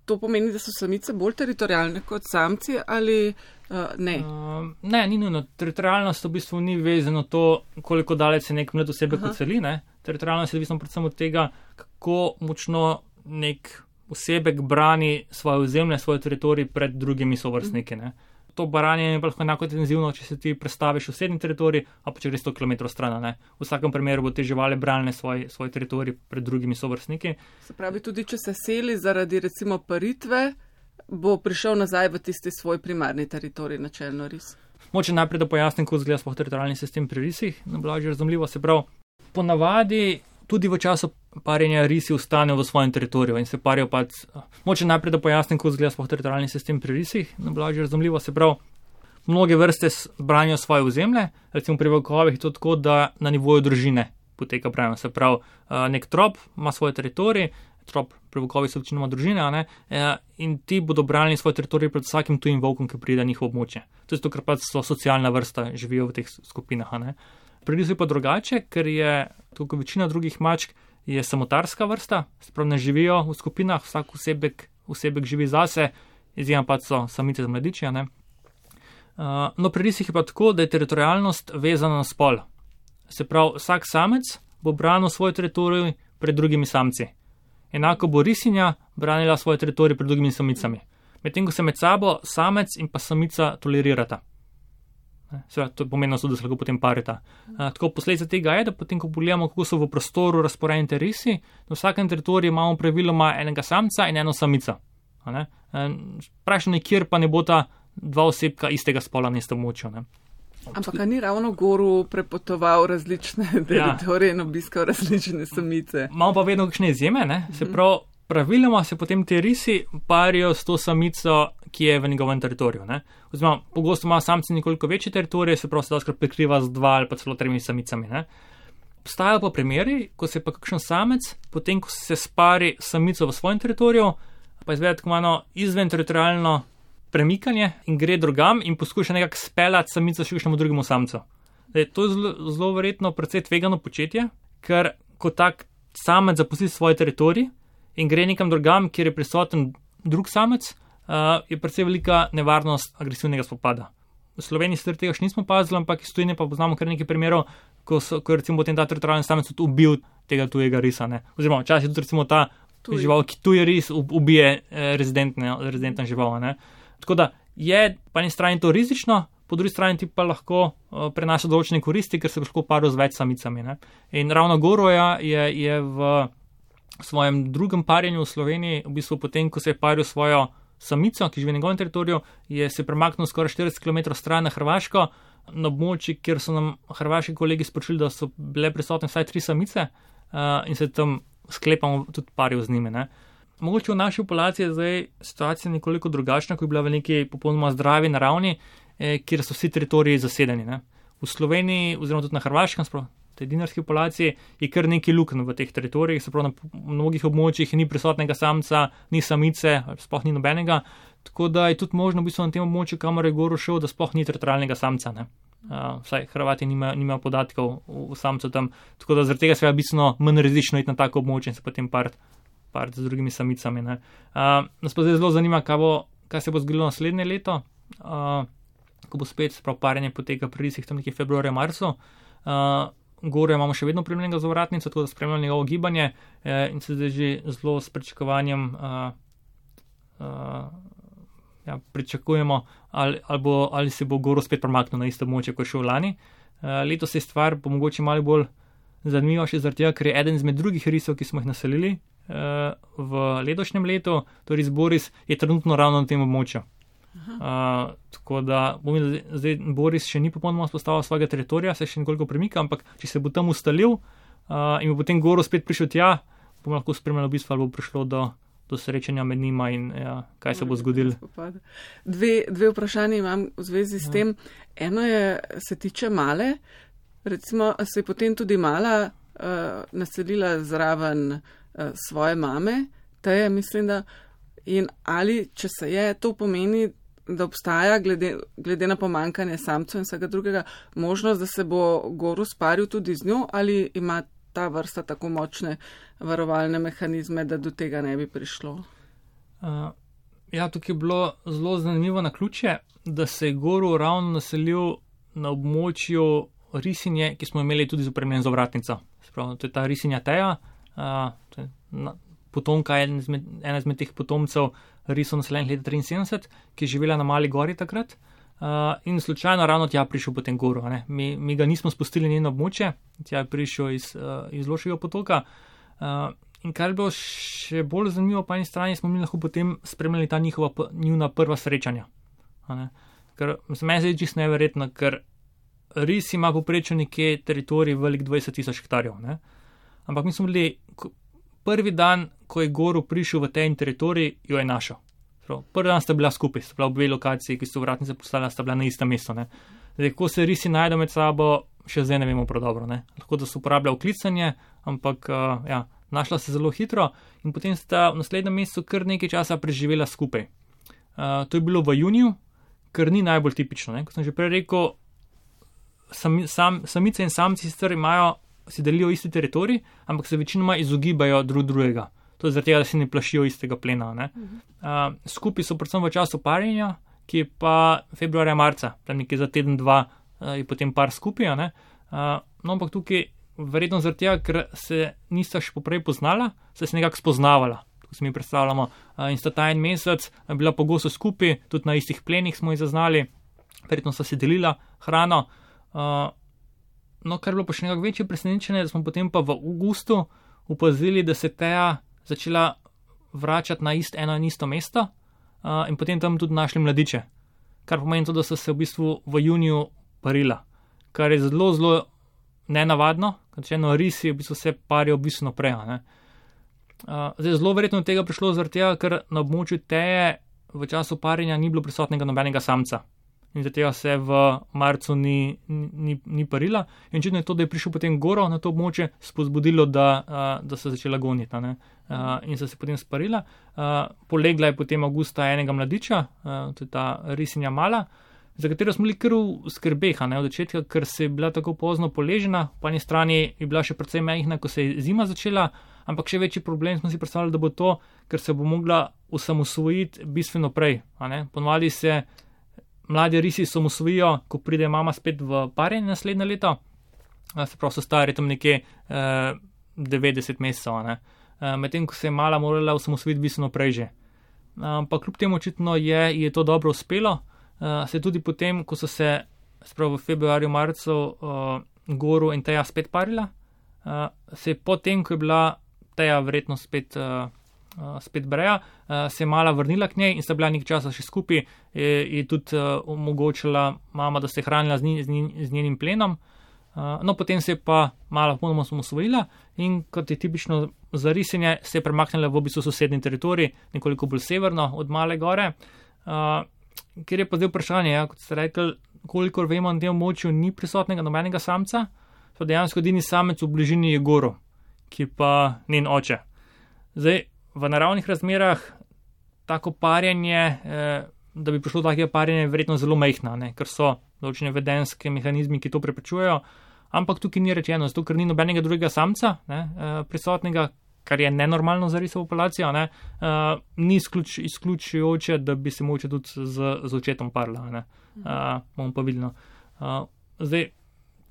to pomeni, da so samice bolj teritorijalne kot samci ali uh, ne? Uh, ne, ni nujno. Teritorijalnost v bistvu ni vezano to, koliko daleč se nek mlad osebek odseli. Teritorijalnost je odvisno predvsem od tega, kako močno nek osebek brani svoje ozemlje, svoj teritorij pred drugimi sovrstniki. Ne. To baranje je lahko enako intenzivno, če se ti prestaviš v sosednji teritorij, a pa če greš sto kilometrov stran. Ne. V vsakem primeru bo te živali branile svoj, svoj teritorij pred drugimi sovrstniki. Se pravi, tudi če se seli zaradi recimo paritve, bo prišel nazaj v tisti svoj primarni teritorij, načelno ris. Moče najprej, da pojasnim, kako izgleda sploh teritorijalni sistem pri risih, na blažje razumljivo. Se pravi, ponavadi tudi v času parjenja risi ostanejo v svojem teritoriju in se parijo pač. Moče najprej, da pojasnim, kako izgleda sploh teritorijalni sistem pri risih, na blažje razumljivo. Se pravi, mnoge vrste branijo svoje ozemlje, recimo pri volkovih je to tako, da na nivoju družine poteka branje. Se pravi, nek trop ima svoj teritorij, trop pri volkovih so večinoma družine, a ne, in ti bodo branili svoj teritorij pred vsakim tujim volkom, ki pride na njihovo območje. To je zato, ker pač so socialna vrsta, živijo v teh skupinah, a ne. Pri risu je pa drugače, ker je, tako kot večina drugih mačk, je samotarska vrsta, se pravi, ne živijo v skupinah, vsak osebek, osebek živi zase, izjema pač so samice z mladiči, ne. Uh, no, pri risih je pa tako, da je teritorijalnost vezana na spol. Se pravi, vsak samec bo branil svoj teritorij pred drugimi samci. Enako bo risinja branila svoj teritorij pred drugimi samicami. Medtem, ko se med sabo samec in pa samica tolerirata. Seveda, to je pomenilo, da se lahko potem parita. Uh, tako posledica tega je, da potem, ko pogledamo, kako so v prostoru razporejeni te risi, na vsakem teritoriju imamo praviloma enega samca in eno samica. Vprašanje, kjer pa ne bo ta dva osebka istega spola na istem območju. Ampak ni ravno goru prepotoval različne teritorije in obiskal različne samice? Imamo pa vedno kakšne izjeme, ne? Se pravi, praviloma se potem te risi parijo s to samico, ki je v njegovem teritoriju. Ne? Oziroma, pogosto ima samci nekoliko večje teritorije, se pravi, se doskrat prekriva z dva ali pa celo tremi samicami. Ne? Obstajajo pa primeri, ko se pa kakšen samec, potem ko se spari samico v svojem teritoriju, pa izvede tako malo izven teritorijalno premikanje in gre drugam in poskuša nekako speljati samico še kakšnemu drugemu samcu. Zdaj, to je zelo, zelo verjetno precej tvegano početje, ker ko tak samec zapusti svoj teritorij in gre nekam drugam, kjer je prisoten drug samec, uh, je precej velika nevarnost agresivnega spopada. V Sloveniji sicer tega še nismo pazili, ampak iz tujine pa poznamo kar nekaj primerov, ko, so, ko je recimo potem ta teritorijalni samec tudi ubil tega tujega risa. Ne? Oziroma, včasih tudi recimo ta tuj. žival, ki tuji ris ubije eh, rezidentna žival. Ne? Tako da je po eni strani to rizično, po drugi strani ti pa lahko uh, prenaša določene koristi, ker se lahko parijo z več samicami. Ne? In ravno Goroja je, je v svojem drugem parjenju v Sloveniji, v bistvu potem, ko se je paril svojo samico, ki živi na njegovem teritoriju, je se premaknil skoraj štirideset kilometrov stran na Hrvaško, na območju, kjer so nam hrvaški kolegi sporočili, da so bile prisotne vsaj tri samice uh, in se tam sklepamo tudi parijo z njimi. Ne. Mogoče v naši populaciji je zdaj situacija nekoliko drugačna, ko je bila v neki popolnoma zdravi naravni, eh, kjer so vsi teritoriji zasedeni. Ne. V Sloveniji oziroma tudi na Hrvaškem, spravo, tej dinarski populaciji, je kar nekaj lukenj v teh teritorijih, se pravi na mnogih območjih ni prisotnega samca, ni samice, sploh ni nobenega, tako da je tudi možno v bistvu na tem območju, kamor je gor šel, da sploh ni teritorijalnega samca. Ne. Uh, vsaj Hrvati nimajo nima podatkov v, v samcu tam, tako da zaradi tega se je bistveno manj rizično iti na tako območje in se potem part, part z drugimi samicami. Ne. Uh, nas pa zdaj zelo zanima, kaj, bo, kaj se bo zgodilo naslednje leto, uh, ko bo spet sprav parjenje poteka pri risih tam nekje februarja, marcu. Uh, Gore imamo še vedno primljenega za vratnico, tako da spremljamo njegovo gibanje eh, in se zdaj že zelo s pričakovanjem uh, uh, ja, pričakujemo, ali, ali, bo, ali se bo Goro spet premaknil na isto območje, kot je šel lani. Uh, letos je stvar po mogoče malo bolj zanimiva še zaradi tega, ker je eden izmed drugih risov, ki smo jih naselili uh, v letošnjem letu, torej Boris, je trenutno ravno na tem območju. Uh, tako da bom videl, zdaj Boris še ni popolnoma spostavil svojega teritorija, se še nekoliko premika, ampak če se bo tam ustalil uh, in bo potem Goro spet prišel tja, bomo lahko spremljali v bistvu, ali bo prišlo do, do srečanja med njima in ja, kaj se bo zgodilo. Dve, dve vprašanje imam v zvezi s ja. tem. Eno je, se tiče Male, recimo se je potem tudi Mala uh, naselila zraven uh, svoje mame, Teje, mislim, da in ali, če se je, to pomeni, da obstaja, glede, glede na pomankanje samcev in vsega drugega, možnost, da se bo Goro sparil tudi z njo, ali ima ta vrsta tako močne varovalne mehanizme, da do tega ne bi prišlo? Uh, ja, tukaj je bilo zelo zanimivo naključje, da se je Goro ravno naselil na območju risinje, ki smo imeli tudi z opremljen za vratnico. Spravo, to je ta risinja Teja, uh, to je na, potomka, ena izmed, ena izmed teh potomcev risov naseljenih leta triinsedemdeset, ki je živela na Mali gori takrat uh, in slučajno ravno tja prišel potem Goro. Mi, mi ga nismo spustili njeno območje, tja je prišel iz, uh, iz Loškega potoka uh, in kar je bilo še bolj zanimivo po eni strani, smo mi lahko potem spremljali ta njihova njuna prva srečanja. Ker se meni zdi čisto neverjetno, ker ris ima poprečno nekje teritorij velik dvajset tisoč hektarjev. Ne? Ampak mi smo bili prvi dan, ko je Goro prišel v ten teritorij, jo je našel. Prvi dan sta bila skupaj, sta bila obe lokaciji, ki so vratnice postala, sta bila na istem mestu. Ne. Zdaj, ko se risi najdejo med sabo, še zdaj ne vemo prav dobro. Ne. Lahko da se uporablja vklicanje, ampak uh, ja, našla se zelo hitro in potem sta v naslednjem mesecu kar nekaj časa preživela skupaj. Uh, to je bilo v juniju, kar ni najbolj tipično. Ne. Kot sem že prej rekel, sami, sam, samice in samci sicer imajo si delijo isti teritorij, ampak se večinoma izogibajo drug drugega. To je zaradi tega, da se ne plašijo istega plena. Ne? Uh, skupaj so predvsem v času parjenja, ki je pa februarja, marca, tam nekje za teden, dva uh, je potem par skupaj. Uh, no, ampak tukaj verjetno zaradi tega, ker se nista še poprej poznala, se je nekako spoznavala. Tako se mi predstavljamo. Uh, in sta ta en mesec bila pogosto skupaj, tudi na istih plenih smo jih zaznali, verjetno sta si delila hrano. Uh, No, kar je bilo pa še nekako večje presenečenje, da smo potem pa v avgustu opazili, da se Teja začela vračati na ist, eno in isto mesto uh, in potem tam tudi našli mladiče. Kar pomeni to, da so se v bistvu v juniju parila, kar je zelo, zelo nenavadno, ker če eno risi v bistvu se parijo v bistvu naprej. Uh, zdaj, zelo verjetno tega prišlo zaradi tega, ker na območju Teje v času parjenja ni bilo prisotnega nobenega samca. In zaradi tega se v marcu ni, ni, ni parila. In očitno je to, da je prišel potem Goro na to območje, spodbudilo, da, uh, da so začela goniti. Uh, in so se potem sparila. Uh, polegla je potem avgusta enega mladiča, uh, to je ta risinja Mala, za katero smo bili kar v skrbeh, ne, od začetka, ker se je bila tako pozno poležena. Po eni strani je bila še precej majhna, ko se je zima začela, ampak še večji problem smo si predstavljali, da bo to, ker se bo mogla osamosvojiti bistveno prej. Ponovadi se mladi risi samosvojijo, ko pride mama spet v parjenje naslednje leto, se pravi, so stari tam nekje eh, devetdeset mesecev, ne. Eh, medtem, ko se je Mala morala osamosvojiti bistveno prej že. Ampak eh, kljub temu očitno je, je to dobro uspelo, eh, se tudi potem, ko so se, sprav v februarju, marcu, eh, Goro in Teja spet parila, eh, se je potem, ko je bila Teja verjetno spet eh, Uh, spet breja, uh, se je Mala vrnila k njej in sta bila nekaj časa še skupaj, je, je tudi uh, omogočila mama, da se je hranila z, nj, z, nj, z njenim plenom. Uh, no, potem se je pa malo ponoma osamosvojila in kot je tipično za risenje, se je premaknila v bistvu sosednji teritorij, nekoliko bolj severno od Male gore, uh, kjer je pa zdaj vprašanje, ja, kot ste rekli, kolikor vemo, na tem območju ni prisotnega nobenega samca, so dejansko edini samec v bližini je Goro, ki pa njen oče. Zdaj, v naravnih razmerah tako parjenje, eh, da bi prišlo do takega parjenja, je verjetno zelo majhna, ne, ker so določene vedenske mehanizmi, ki to preprečujejo, ampak tukaj ni rečeno, zato ker ni nobenega drugega samca ne, eh, prisotnega, kar je nenormalno za riso populacijo, ne, eh, ni izključ, izključujoče, da bi se moče tudi z, z očetom parla. Ne, eh, bomo pa videli. Eh, zdaj,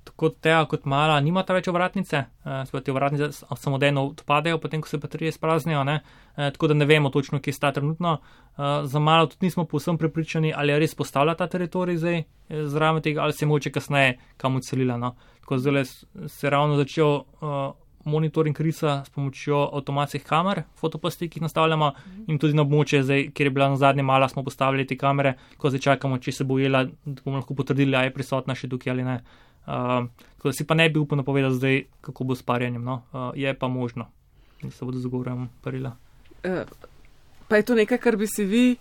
tako Teja kot Mala nimata več ovratnice, eh, te ovratnice samodejno odpadejo, potem ko se baterije spraznijo, ne, eh, tako da ne vemo točno, kje sta trenutno. Eh, za Malo tudi nismo povsem prepričani, ali je res postavila ta teritorij zdaj eh, zraven tega, ali se je moče kasneje kam odselila. No. Tako zdaj se ravno začel eh, monitoring risa s pomočjo avtomatskih kamer, fotopasti, ki jih nastavljamo in tudi na območje, zdaj, kjer je bila na zadnje Mala, smo postavili te kamere, ko zdaj čakamo, če se bo ujela, da bomo lahko potrdili, ali je prisotna še tukaj ali ne. Uh, tako da si pa ne bi upal napovedati zdaj, kako bo s parjenjem. No? Uh, je pa možno, da se bodo zagovorjem parila. Uh, pa je to nekaj, kar bi si vi,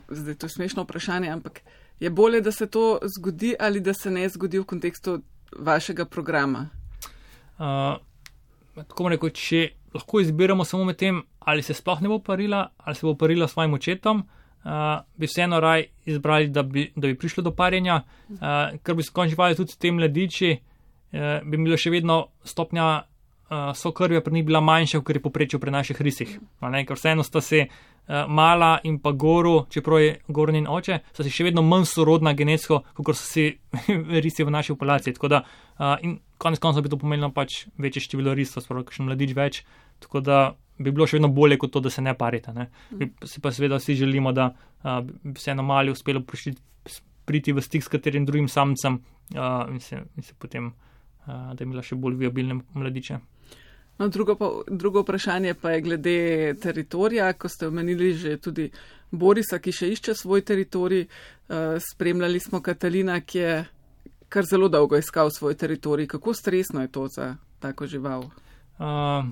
zdaj to je smešno vprašanje, ampak je bolje, da se to zgodi ali da se ne zgodi v kontekstu vašega programa? Uh, tako rekel, če lahko izbiramo samo med tem, ali se sploh ne bo parila, ali se bo parila s svojim očetom, Uh, bi vseeno raj izbrali, da bi, da bi prišlo do parjenja, uh, ker bi skončivali tudi te mladiči, uh, bi bila še vedno stopnja uh, sokrvja pri njih bila manjša, ker je poprečil pri naših risih. Ne, ker vseeno sta se uh, Mala in pa Goru, čeprav je Gor njen oče, sta si še vedno manj sorodna genetsko, kot so si risi v naši populaciji. Tako da, uh, in konec konca bi to pomenilo pač večje število risov, sporo kakšen mladič več, tako da bi bilo še vedno bolje kot to, da se ne parite. Ne. Mi si pa seveda vsi želimo, da uh, bi se eno Mali uspelo prišli, priti v stik s katerim drugim samcem uh, in, se, in se potem, uh, da je imela še bolj viabilne mladiče. No, drugo, pa, drugo vprašanje pa je glede teritorija, ko ste omenili že tudi Borisa, ki še išče svoj teritorij. Uh, spremljali smo Katalina, ki je kar zelo dolgo iskal svoj teritorij. Kako stresno je to za tako žival? Uh,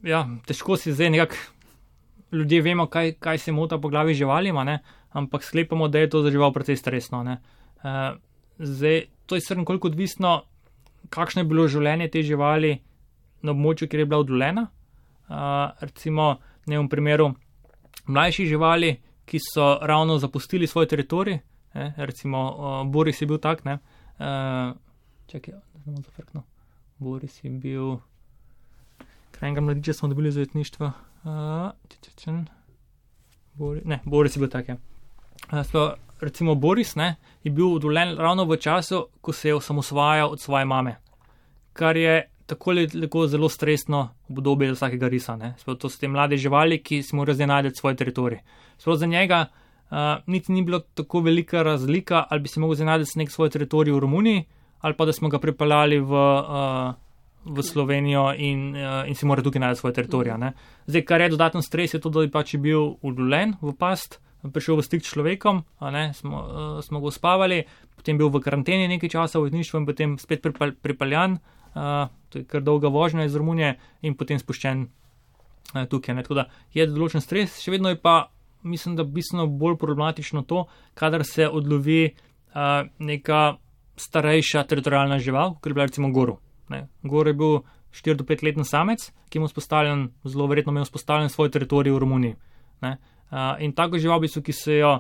Ja, težko si zdaj nekako, ljudje vemo, kaj, kaj se mota po glavi živalima, ne? Ampak sklepamo, da je to za žival precej stresno. Ne? Uh, zdaj, to je srn koliko odvisno, kakšno je bilo življenje te živali na območju, kjer je bila odvoljena. Uh, recimo, ne v primeru mlajših živali, ki so ravno zapustili svoj teritorij, ne? Recimo, uh, Boris je bil tak, ne? Uh, čakaj, da ne bom zafrknil. Boris je bil... Enega mladiča smo dobili za jetništvo. Uh, Bori, ne, Boris je bil tak. Uh, so, recimo Boris ne, je bil odvoljen ravno v času, ko se je osamosvajal od svoje mame, kar je tako lepo zelo stresno obdobje za vsakega risa. So, to so te mlade živali, ki si morajo zdaj najti svoj teritorij. So, za njega uh, niti ni bilo tako velika razlika, ali bi si mogel zdaj najti nek svoj teritorij v Romuniji, ali pa da smo ga pripeljali v... Uh, v Slovenijo in, uh, in si mora tukaj najti svoj teritorij. Ne. Zdaj, kar je dodaten stres, je to, da je pač bil udoljen v past, prišel v stik s človekom, ne, smo, uh, smo ga uspavali, potem bil v karanteni nekaj časa v jetništvu in potem spet pripal, pripaljan, uh, to je kar dolga vožnja iz Romunije in potem spuščen uh, tukaj. Ne. Tako da je določen stres, še vedno je pa, mislim, da bistveno bolj problematično to, kadar se odlovi uh, neka starejša teritorijalna žival, kot je bila recimo Goru. Ne. Gor je bil štiri do pet letni samec, ki je vzpostavljen, zelo verjetno imel vzpostavljen svoj teritorij v Romuniji. Ne. Uh, in tako žival, bistvo, ki se jo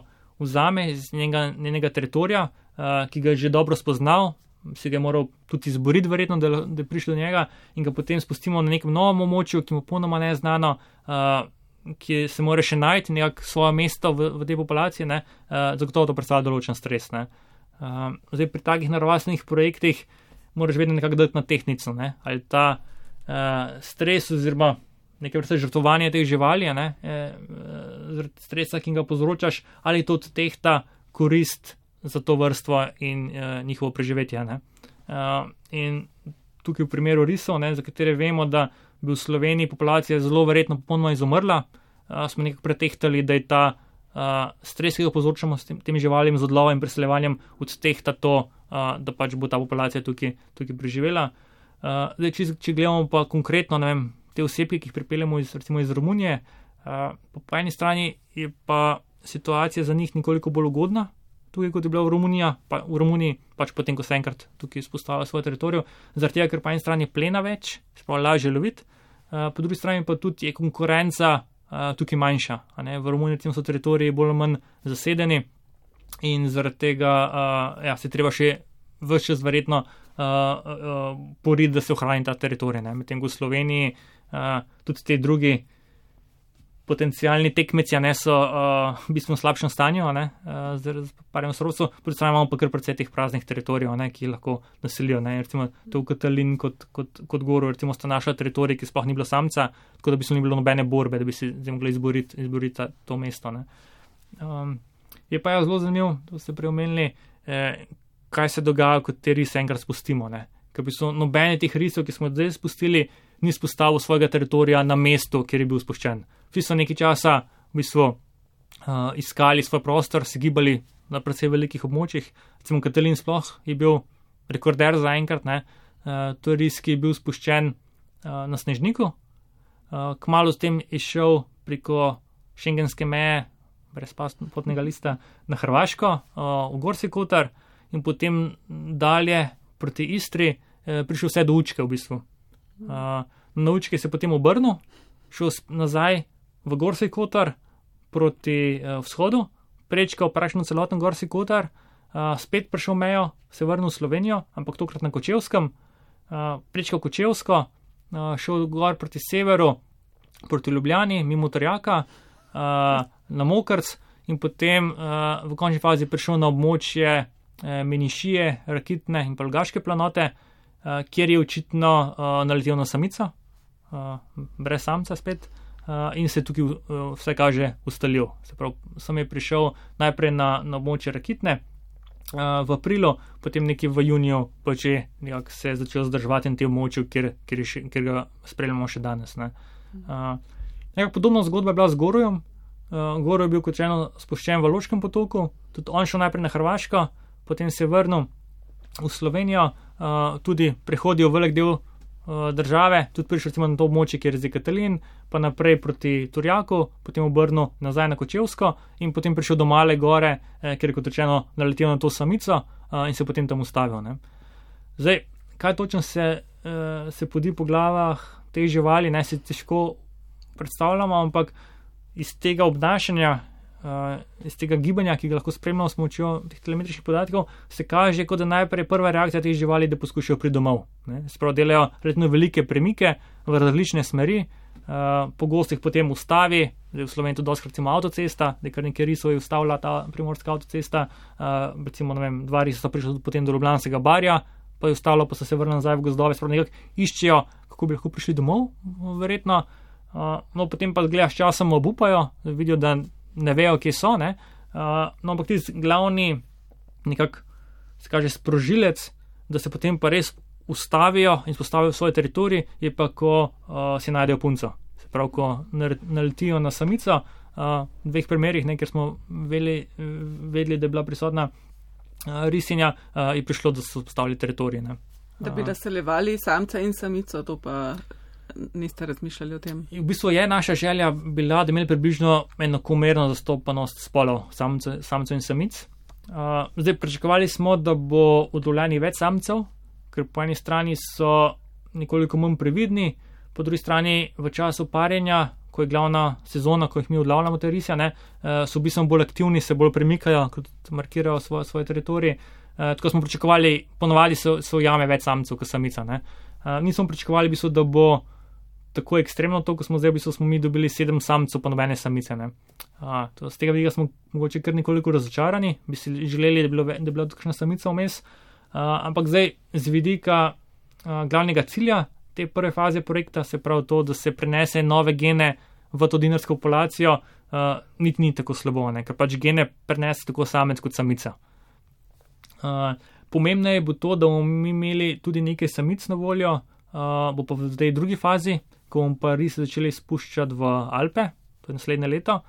vzame iz njenega, njenega teritorija, uh, ki ga je že dobro spoznal, si ga je moral tudi izboriti, verjetno, da, da je prišel do njega in ga potem spustimo na nekem novem območju, ki mu ponoma ne je znano, uh, ki se mora še najti nekako svoje mesto v, v tej populaciji, ne, uh, zagotovo to predstavlja določen stres. Ne. Uh, zdaj pri takih naravastvenih projektih moraš vedno nekako dati na tehnico, ne? Ali ta uh, stres oziroma nekaj vrste žrtvovanje teh živali, ne? E, stresa, ki ga povzročaš, ali to tehta korist za to vrstvo in uh, njihovo preživetje. Ne? Uh, in tukaj v primeru risov, ne, za katere vemo, da bi v Sloveniji populacija zelo verjetno popolnoma izumrla, uh, smo nekako pretehtali, da je ta uh, stres, ki ga povzročamo s tem, temi živalim z odlovom in preseljevanjem, odtehta to, uh, da pač bo ta populacija tukaj, tukaj preživela. Uh, zdaj, če, če gledamo pa konkretno, ne vem, te osebke, ki jih pripeljemo iz, recimo iz Romunije, uh, po, po eni strani je pa situacija za njih nekoliko bolj ugodna, tukaj kot je bila v Romuniji, pa v Romuniji pač potem, ko se enkrat tukaj izpostavlja svoj teritorij, zaradi tega, ker po eni strani plena več, spravo lažje loviti, uh, po drugi strani pa tudi je konkurenca uh, tukaj manjša. A ne? V Romuniji recimo so teritoriji bolj ali manj zasedeni in zaradi tega uh, ja, se treba še ves čas verjetno uh, uh, poriti, da se ohrani ta teritorij. Medtem ko v Sloveniji uh, tudi te drugi potencijalni tekmeci ne, so uh, v bistvu v slabšem stanju, ne, uh, z parjem sorodstvom, po drugi strani imamo pa kar precej teh praznih teritorijev, ne, ki lahko naselijo. Ne, recimo to v Katalin kot, kot, kot Goru, recimo sta naša teritorij, ki sploh ni bilo samca, tako da bi se ni bilo nobene borbe, da bi si mogli izboriti, izboriti to mesto. Ne. Um, je pa ja zelo zanimivo, to ste preomenili, eh, kaj se dogaja, kot te rise enkrat spustimo. Ne. Ker bi so nobene teh risov, ki smo zdaj spustili, ni spostavil svojega teritorija na mestu, kjer je bil spuščen. Vsi so nekaj časa v bistvu uh, iskali svoj prostor, se gibali na precej velikih območjih. Recimo Katalin sploh je bil rekorder za enkrat, ne. Uh, to je ris, ki je bil spuščen uh, na Snežniku. Uh, kmalu s tem je šel preko šengenske meje, brez potnega lista, na Hrvaško, uh, v Gorski Kotar in potem dalje proti Istri uh, prišel vse do Učke v bistvu. Uh, na Učke se potem obrnil, šel nazaj v Gorski Kotar proti uh, vzhodu, prečkal praktično celoten Gorski Kotar, uh, spet prišel mejo, se vrnil v Slovenijo, ampak tokrat na Kočevskem, uh, prečkal Kočevsko, uh, šel gor proti severu, proti Ljubljani, mimo Torjaka, uh, na Mokrc in potem uh, v končni fazi prišel na območje uh, Menišije, Rakitne in Polgaške planote, uh, kjer je očitno uh, naletel na samico, uh, brez samca spet. Uh, in se tukaj uh, vse kaže ustalil. Se pravi, sem je prišel najprej na, na območje Rakitne uh, v aprilu, potem nekje v juniju pa že nekako se je začel zdržovati na tem območju, kjer, kjer, še, kjer ga spremljamo še danes. Ne. Uh, nekako podobna zgodba je bila z Gorujem. Uh, Goruj je bil kot rečeno spuščen v Loškem potoku, tudi on šel najprej na Hrvaško, potem se je vrnil v Slovenijo, uh, tudi prehodil velik del države, tudi prišel recimo na to območje, kjer je zdaj Katalin, pa naprej proti Turjaku, potem obrnil nazaj na Kočevsko in potem prišel do Male gore, eh, kjer je kot rečeno naletel na to samico eh, in se potem tam ustavil. Ne. Zdaj, kaj točno se, eh, se podi po glavah teh živali, ne, se težko predstavljamo, ampak iz tega obnašanja, uh, iz tega gibanja, ki ga lahko spremljamo s pomočjo teh telemetričnih podatkov, se kaže, kot da najprej prva reakcija teh živali, da poskušajo priti domov. Spravo delajo relativno velike premike v različne smeri, uh, pogosto jih potem ustavi, zdaj v Sloveniji tudi dosti recimo avtocesta, da je kar nekaj risov je ustavila ta primorska avtocesta, uh, recimo, ne vem, dva risa so prišli potem do Ljubljanskega barja, pa je ustavilo, pa so se vrnili nazaj v gozdove, spravo nekako iščejo, kako bi lahko prišli domov, verjetno. Uh, no, potem pa gledaš časom obupajo, vidijo, da ne vejo, kje so, ne. Uh, no, ampak tisti glavni nekak, se kaže, sprožilec, da se potem pa res ustavijo in spostavijo svoj teritorij, je pa, ko uh, si najdejo punco. Se pravi, ko naletijo na samico, uh, v dveh primerih, ne, ker smo vedeli, vedeli, da je bila prisotna uh, risinja, uh, je prišlo, da so postavili teritorij. Ne. Da bi razseljevali samca in samico, to pa niste razmišljali o tem? V bistvu je naša želja bila, da imeli približno enakomerno zastopanost spolov samcev, samcev in samic. Uh, zdaj, pričakovali smo, da bo udovljenih več samcev, ker po eni strani so nekoliko manj previdni, po drugi strani v času parjenja, ko je glavna sezona, ko jih mi odlavljamo te rise, ne, uh, so v bistvu bolj aktivni, se bolj premikajo, kot markirajo svoj, svoj teritorij. Uh, tako smo pričakovali, ponovadi so, so jame več samcev kot samica. Ne. Uh, nismo pričakovali, v bistvu, da bo tako ekstremno to, ko smo zdaj, v bistvu smo mi dobili sedem samcev, pa nobene samice. Ne. A, to, z tega vidika smo mogoče kar nekoliko razočarani, bi si želeli, da je bilo, da je bila tukšna samica vmes, a, ampak zdaj z vidika a, glavnega cilja te prve faze projekta, se pravi to, da se prenese nove gene v to dinarsko populacijo, a, niti ni tako slabo, ne, ker pač gene prenese tako samec kot samica. A, pomembneje bo to, da bomo mi imeli tudi nekaj samic na voljo, a, bo pa v tej drugi fazi, ko bomo pa rise začeli spuščati v Alpe, to je naslednje leto,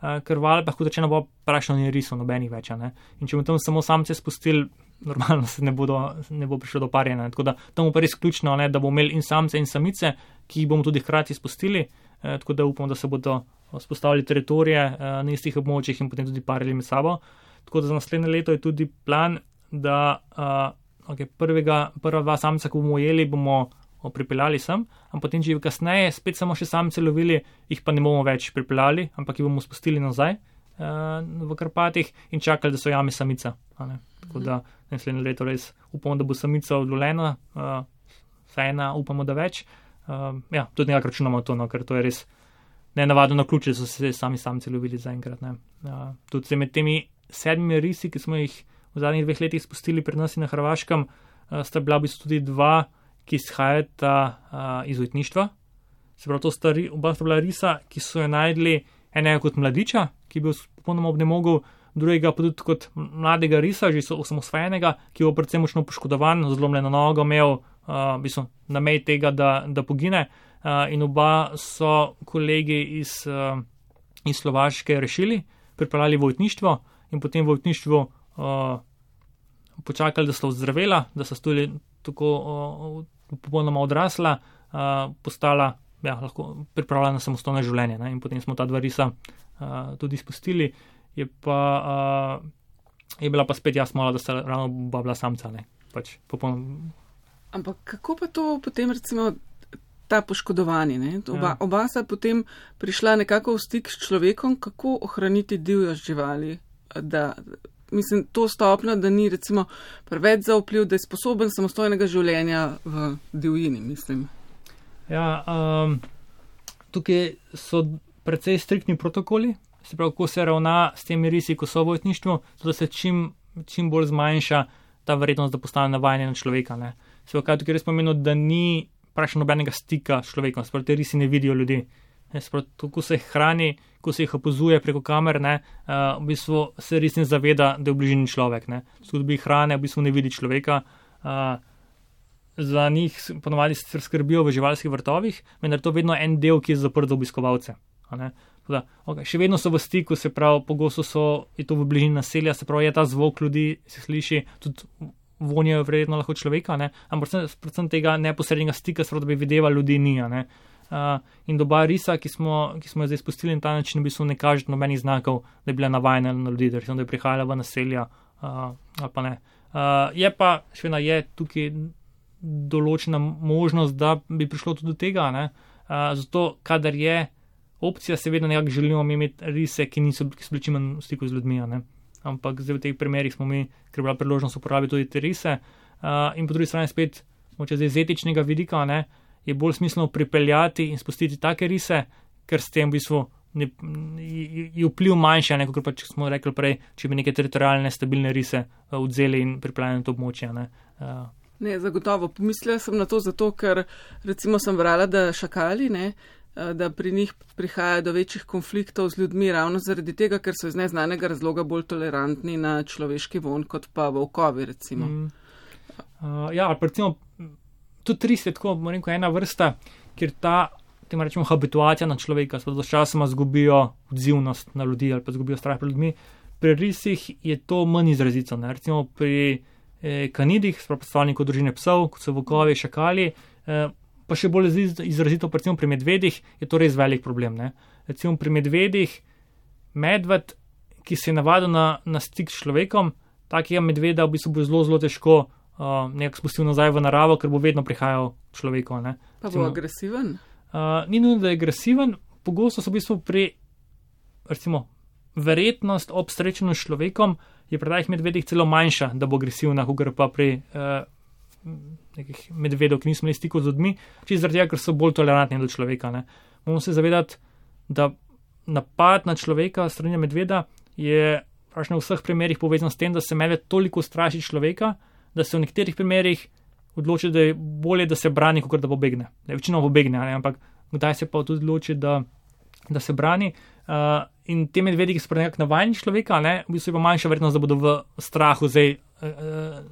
uh, ker v Alpah, kot rečeno, bo prašno ni risov nobenih več. Ne? In če bomo tam samo samce spustili, normalno se ne, bodo, ne bo prišlo do parjenja. Tako da tam bo pa res ključno, ne, da bomo imeli in samce in samice, ki jih bomo tudi hkrati spustili, uh, tako da upamo, da se bodo spostavili teritorije uh, na istih območjih in potem tudi parili med sabo. Tako da za naslednje leto je tudi plan, da uh, okay, prvega, prva dva samca, ko bomo ujeli, bomo pripeljali sem, ampak potem, če kasneje spet samo še samce lovili, jih pa ne bomo več pripeljali, ampak jih bomo spustili nazaj uh, v Karpatih in čakali, da so jame samica. Tako da naslednje leto res upamo, da bo samica odlovljena, uh, vsaj ena upamo, da več. Uh, ja, tudi nekako računamo to, no, ker to je res nenavadno na ključe, da so se sami samci lovili zaenkrat. Uh, tudi med temi sedmimi risi, ki smo jih v zadnjih dveh letih spustili pri nas in na Hrvaškem, uh, sta bila v bistvu tudi dva, ki izhajata uh, iz ujetništva. Se pravi, to sta, oba sta bila risa, ki so jo najdli enega kot mladiča, ki je bil popolnoma obnemogel, drugega pa tudi kot mladega risa, že osamosvojenega, ki je bil predvsem močno poškodovan, zlomljeno nogo imel, uh, v bistvu na meji tega, da, da pogine. Uh, in oba so kolegi iz, uh, iz Slovaške rešili, pripeljali v ujetništvo in potem v ujetništvu uh, počakali, da so ozdravela, da so stoli tako uh, popolnoma odrasla, uh, postala, ja, lahko pripravljena na samostojno življenje. Ne? In potem smo ta dva risa uh, tudi izpustili. Je pa uh, je bila pa spet jasno, da sta ravno oba bila samca. Ne? Pač popolnoma. Ampak kako pa to potem recimo ta poškodovanje? Ne? Oba, ja. oba sta potem prišla nekako v stik s človekom, kako ohraniti divjost živali, da mislim, to stopno, da ni recimo preveč zaupljiv, da je sposoben samostojnega življenja v divjini, mislim. Ja, um, tukaj so precej striktni protokoli, se pravi, kako se ravna s temi risi, ko so v ujetništvu, da se čim, čim bolj zmanjša ta verjetnost, da postane navajanje na človeka. Ne. Se pravi, kaj tukaj res pomeni, da ni praktično nobenega stika s človekom, se pravi, te risi ne vidijo ljudi. Ko se jih hrani, ko se jih opazuje preko kamer, ne, uh, v bistvu se res ne zaveda, da je v bližini človek. Tudi bi hrane, v bistvu ne vidi človeka. Uh, za njih ponovadi se skrbijo v živalskih vrtovih, vendar to vedno en del, ki je zaprt za obiskovalce. Da, okay, še vedno so v stiku, se pravi, pogosto so, je to v bližini naselja, se pravi, je ta zvok ljudi, se sliši, tudi vonjajo verjetno lahko človeka, ne, ampak predvsem, predvsem tega neposrednega stika, se pravi, da bi videla ljudi ni, ne. Uh, in doba risa, ki smo, ki smo jo zdaj spustili na ta način, v bistvu ne kaže nobenih znakov, da je bila navajena na ljudi, da je prihajala v naselja, uh, ali pa ne. Uh, je pa, še vedno je tukaj določena možnost, da bi prišlo tudi do tega, ne? Uh, zato, kadar je opcija, seveda nekako želimo imeti rise, ki niso, ki so bili čim manj v stiku z ljudmi, ne? Ampak zdaj v teh primerih smo mi, ker je bila priložnost uporabiti tudi te rise, uh, in po drugi strani spet, moče zdaj z etičnega vidika, ne, je bolj smiselno pripeljati in spustiti take rise, ker s tem v bistvu ne, je vpliv manjši, ne, kot pa če smo rekli prej, če bi neke teritorijalne stabilne rise uh, odzeli in pripeljali na to območje. Ne, uh. ne, zagotovo. Pomislila sem na to zato, ker recimo sem brala, da šakali, ne, da pri njih prihaja do večjih konfliktov z ljudmi ravno zaradi tega, ker so iz neznanega razloga bolj tolerantni na človeški von, kot pa volkovi, recimo. Mm. Uh, ja, ali pa recimo tudi ris je tako, moram reči, ena vrsta, kjer ta, tem rečemo, habituacija na človeka, so časoma zgubijo odzivnost na ljudi ali pa zgubijo strah pred ljudmi. Pri risih je to manj izrazito, ne? Recimo pri eh, kanidih, predstavnikov družine psov, kot so volkovi, šakali, eh, pa še bolj izrazito, recimo pri medvedih, je to res velik problem. Ne? Recimo pri medvedih, medved, ki se je navadil na, na stik s človekom, takega medveda v bistvu bo zelo, zelo težko uh, nekako spustil nazaj v naravo, ker bo vedno prihajal človekov. Ne? Pa bo agresiven? Uh, ni nujno, da je agresiven, pogosto so v bistvu pri, recimo, verjetnost ob srečanju s človekom je pri takih medvedih celo manjša, da bo agresivna, kot pa pri uh, nekih medvedov, ki niso imeli stikov z ljudmi, čisto zaradi tega, ker so bolj tolerantni do človeka. Ne. Moramo se zavedati, da napad na človeka strani medveda je v vseh primerih povezan s tem, da se medved toliko straši človeka, da se v nekaterih primerih odloči, da je bolje, da se brani, kot da pobegne. Da je večino pobegne, ne, ampak kdaj se pa tudi odloči, da, da se brani. Uh, in te medvedi, ki so nekako navajeni človeka, ne, v bistvu je pa manjša verjetnost, da bodo v strahu zdaj uh,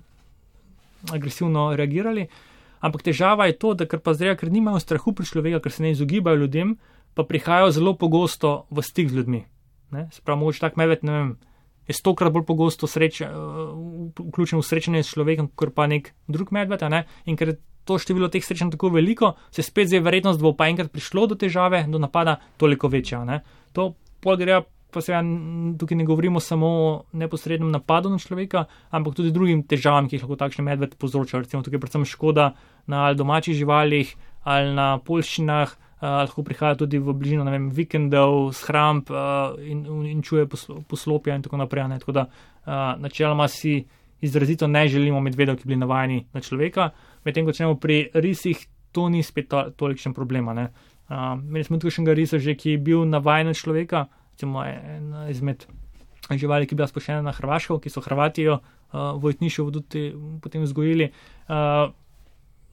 agresivno reagirali, ampak težava je to, da ker pa zdaj, ker nimajo strahu pri človeka, ker se ne izogibajo ljudem, pa prihajajo zelo pogosto v stik z ljudmi. Ne? Se pravi, mogoče tak medved, ne vem, je stokrat bolj pogosto sreče, vključen v srečanje s človekom, kot pa nek drug medved, ne? In ker je to število teh srečanj tako veliko, se spet zdaj verjetnost, da bo pa enkrat prišlo do težave, do napada, toliko večja. Ne? To pol gre, pa se tukaj ne govorimo samo o neposrednem napadu na človeka, ampak tudi drugim težavam, ki jih lahko takšen medved povzroča. Recimo tukaj predvsem škoda na ali domačih živalih ali na poljščinah, Uh, lahko prihaja tudi v bližino, ne vem, vikendov, shramb uh, in, in čuje poslo, poslopja in tako naprej. Ne? Tako da uh, načeloma si izrazito ne želimo medvedov, ki bili navajeni na človeka, medtem ko čemo pri risih, to ni spet to, tolikšen problema. Ne? Uh, imeli smo tukajšnjega risa že, ki je bil navajen na človeka, recimo ena izmed živali, ki je bila spoščena na Hrvaško, ki so Hrvatijo uh, Vojtniševo tudi potem vzgojili. Uh,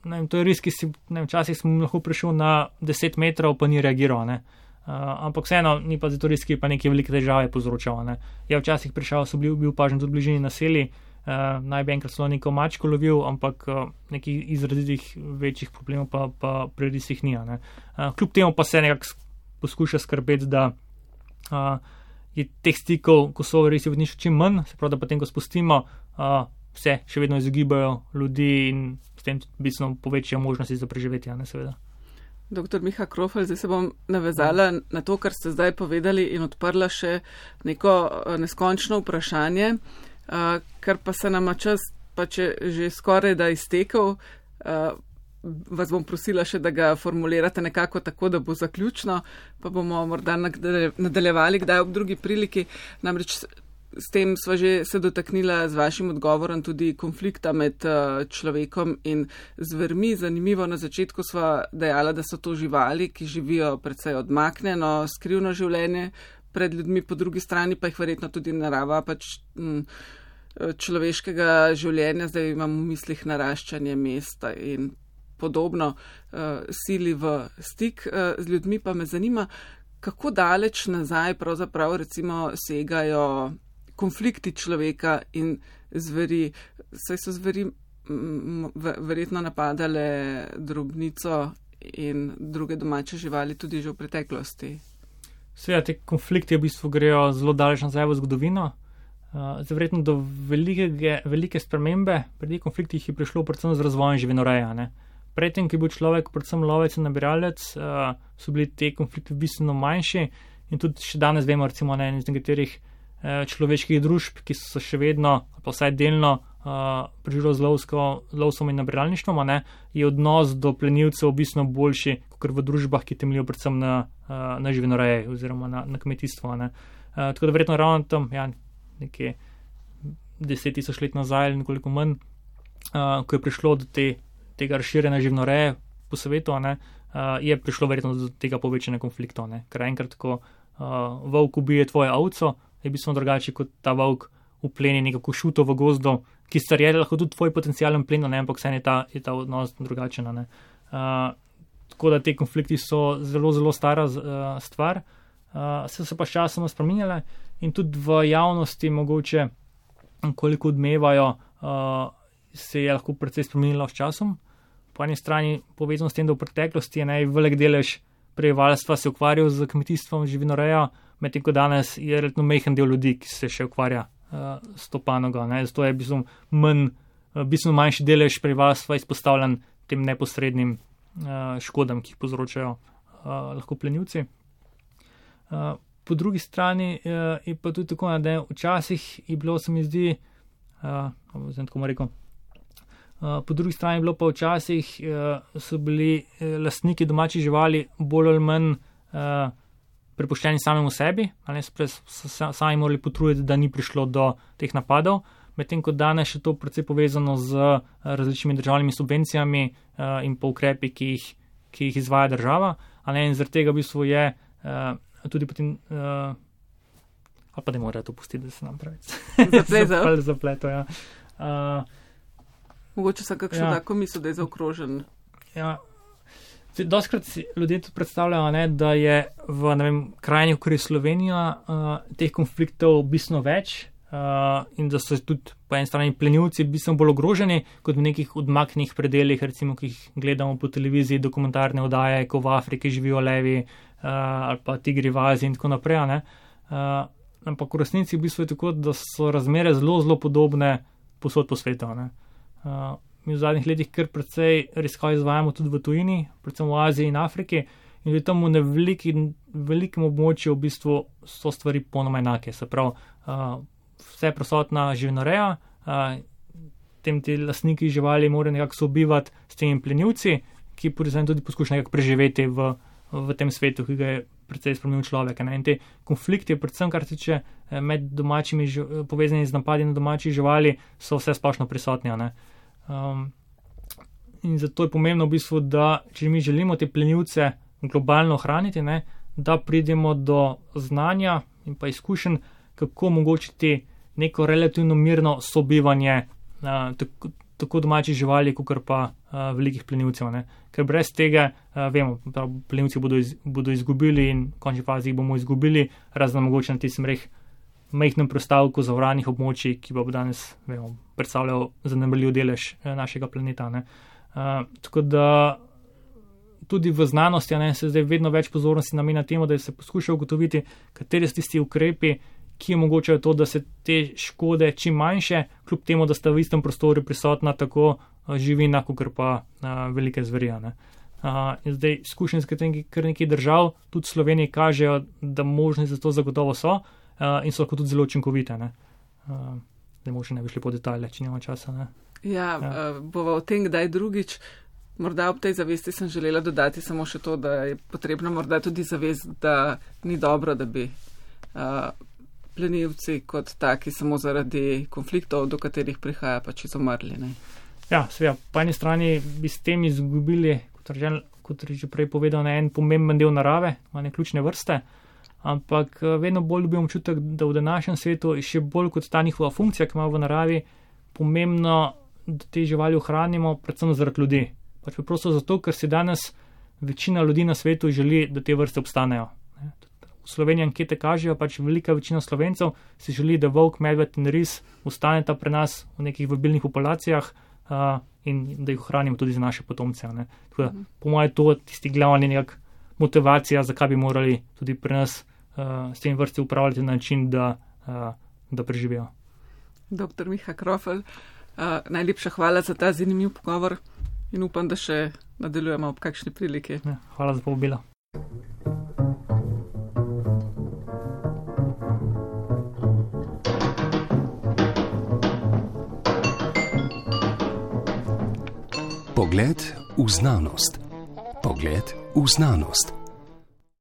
Ne vem, to je res, ki si, ne vem, včasih smo lahko prišel na deset metrov, pa ni reagiral, ne. Uh, ampak vseeno, ni pa zato res, ki pa neke velike težave povzročal, ne. Je včasih prišel, so bili, bil pažen tudi v bližini naselij, uh, naj bi enkrat celo neko mačko lovil, ampak uh, nekih izrazitih večjih problemov pa, pa pri risih ni, ne. Uh, kljub temu pa se nekako poskuša skrbeti, da uh, je teh stikov, ko so risi v nič čim manj, se pravi, da potem, ko spustimo, uh, vse še vedno izogibajo ljudi in s tem bistveno povečajo možnosti za preživetje, ne seveda. Doktor Miha Krofl, zdaj se bom navezala na to, kar ste zdaj povedali in odprla še neko neskončno vprašanje, kar pa se nama čas pa če že skoraj da iztekel, vas bom prosila še, da ga formulirate nekako tako, da bo zaključno, pa bomo morda nadaljevali kdaj ob drugi priliki, namreč s tem sva že se dotaknila z vašim odgovorom tudi konflikta med uh, človekom in zvermi. Zanimivo, na začetku sva dejala, da so to živali, ki živijo predvsej odmaknjeno, skrivno življenje pred ljudmi, po drugi strani pa jih verjetno tudi narava pač m, človeškega življenja, zdaj imam v mislih naraščanje mesta in podobno, uh, sili v stik uh, z ljudmi, pa me zanima, kako daleč nazaj pravzaprav recimo segajo konflikti človeka in zveri. Saj so zveri verjetno napadale drobnico in druge domače živali tudi že v preteklosti. Seveda, te konflikti v bistvu grejo zelo daleč nazaj v zgodovino. Uh, Verjetno do velike, velike spremembe pri teh konfliktih je prišlo predvsem z razvojem živinoreje. Ne? Predtem, ki je bil človek predvsem lovec in nabiralec, uh, so bili te konflikti bistveno manjši in tudi še danes vemo, recimo, ne, iz nekaterih človeških družb, ki so še vedno, pa vsaj delno, uh, preživelo z lovsko, lovstvom in nabiralništvom, ne, je odnos do plenilcev bistveno boljši, kot v družbah, ki temeljijo predvsem na, uh, na živinoreji oziroma na, na kmetijstvo. Ne. Uh, tako da verjetno ravno tam, ja, nekje deset tisoč let nazaj ali nekoliko manj, uh, ko je prišlo do te, tega razširjene živinoreje po svetu, ne, uh, je prišlo verjetno do tega povečanja konfliktov. Ne. Ker enkrat, ko uh, volk ubije tvoje ovco, je bistveno drugače, kot ta volk upleni nekako šuto v gozdu, ki star je lahko tudi tvoj potencijalen plen, ne, ampak vse je ta, je ta odnos drugačen. Ne. Uh, tako da te konflikti so zelo, zelo stara uh, stvar, uh, se so pa s časom spreminjale in tudi v javnosti mogoče, koliko odmevajo, uh, se je lahko precej spremenilo s časom. Po eni strani povezano s tem, da v preteklosti je najvelik delež prebivalstva se ukvarjal z kmetijstvom, živinorejo, medtem ko danes je relativno majhen del ljudi, ki se še ukvarja uh, s to panogo. Ne? Zato je bistveno manj, uh, bistveno manjši delež prebivalstva izpostavljen tem neposrednim uh, škodam, ki jih povzročajo uh, lahko plenilci. Uh, po drugi strani uh, je pa tudi tako, da včasih je bilo, se mi zdi, uh, zdaj tako mu rekel, uh, po drugi strani je bilo pa včasih, uh, so bili uh, lastniki domačih živali bolj ali manj uh, prepuščeni samemu sebi, ali so sami morali potruditi, da ni prišlo do teh napadov, medtem ko danes je to precej povezano z različnimi državnimi subvencijami uh, in pa ukrepi, ki jih, ki jih izvaja država, ali in zaradi tega v bistvu je uh, tudi potem, uh, ali pa ne morajo to pustiti, da se nam pravi. Zapleto. Zapleto, ja. Uh, Mogoče sem kakšno ja. tako misel, da je zaokrožen. Ja. Doskrat si ljudje tudi predstavljajo, ne, da je v ne vem, krajini, kot je Slovenija, uh, teh konfliktov bistveno več uh, in da so tudi po eni strani plenilci bistveno bolj ogroženi kot v nekih odmaknih predeljih, recimo, ki jih gledamo po televiziji, dokumentarne oddaje, ko v Afriki živijo levi uh, ali pa tigri v Aziji in tako naprej. Ne. Uh, ampak v resnici v bistvu je tako, da so razmere zelo, zelo podobne posod po svetu. Uh, mi v zadnjih letih kar precej raziskav izvajamo tudi v tujini, predvsem v Aziji in Afriki, in že tam v veliki, velikem območju v bistvu so stvari ponoma enake. Se pravi, uh, vse prisotna živinoreja, uh, tem ti lastniki živali morajo nekako sobivati s temi plenilci, ki tudi poskušajo nekako preživeti v, v tem svetu, ki ga je precej spremenil človek. Ne? In te konflikti, predvsem kar se tiče med domačimi, povezani z napadi na domačih živali, so vse splošno prisotni. Um, in zato je pomembno v bistvu, da če mi želimo te plenilce globalno ohraniti, ne, da pridemo do znanja in pa izkušenj, kako omogočiti neko relativno mirno sobivanje uh, tako, tako domačih živali, kot pa uh, velikih plenilcev. Ne. Ker brez tega, uh, vemo, da plenilci bodo, iz, bodo izgubili in v končni fazi jih bomo izgubili, razen mogoče na tistem reh majhnem prostavku zavranih območij, ki bo danes, vemo, predstavljal zanemarljiv delež našega planeta. Ne. Uh, tako da tudi v znanosti ne, se zdaj vedno več pozornosti namenja temu, da se poskuša ugotoviti, kateri so tisti ukrepi, ki omogočajo to, da se te škode čim manjše, kljub temu, da sta v istem prostoru prisotna tako živina, kot pa uh, velike zveri. Uh, zdaj izkušnje z kar nekaj držav, tudi v Sloveniji, kažejo, da možnosti za to zagotovo so uh, in so lahko tudi zelo učinkovite. Uh, zdaj možno ne bi šli po detajle, če nima časa. Ne? Ja, ja. Uh, bova o tem kdaj drugič. Morda ob tej zavesti sem želela dodati samo še to, da je potrebno morda tudi zavest, da ni dobro, da bi uh, plenilci kot taki samo zaradi konfliktov, do katerih prihaja, pač izumrli. Ne? Ja, seveda, po eni strani bi s tem izgubili, kot je kot že prej povedal, en pomemben del narave, ene ključne vrste, ampak vedno bolj dobim občutek, da v današnjem svetu je še bolj kot ta njihova funkcija, ki ima v naravi, pomembno, da te živali ohranimo, predvsem zaradi ljudi. Pač preprosto zato, ker si danes večina ljudi na svetu želi, da te vrste obstanejo. V Sloveniji ankete kažejo, pač velika večina Slovencev si želi, da volk, medved in ris ostaneta pri nas v nekih vabilnih populacijah uh, in da jih ohranimo tudi za naše potomce. Ne. Tako da, po mojem, to tisti glavni nekak motivacija, zakaj bi morali tudi pri nas uh, s tem vrsti upravljati na način, da, uh, da preživijo. Doktor Miha Krofl, uh, najlepša hvala za ta zanimiv pogovor. In upam, da še nadaljujemo ob kakšni priliki. Ja, hvala za povabilo. Pogled v znanost. Pogled v znanost.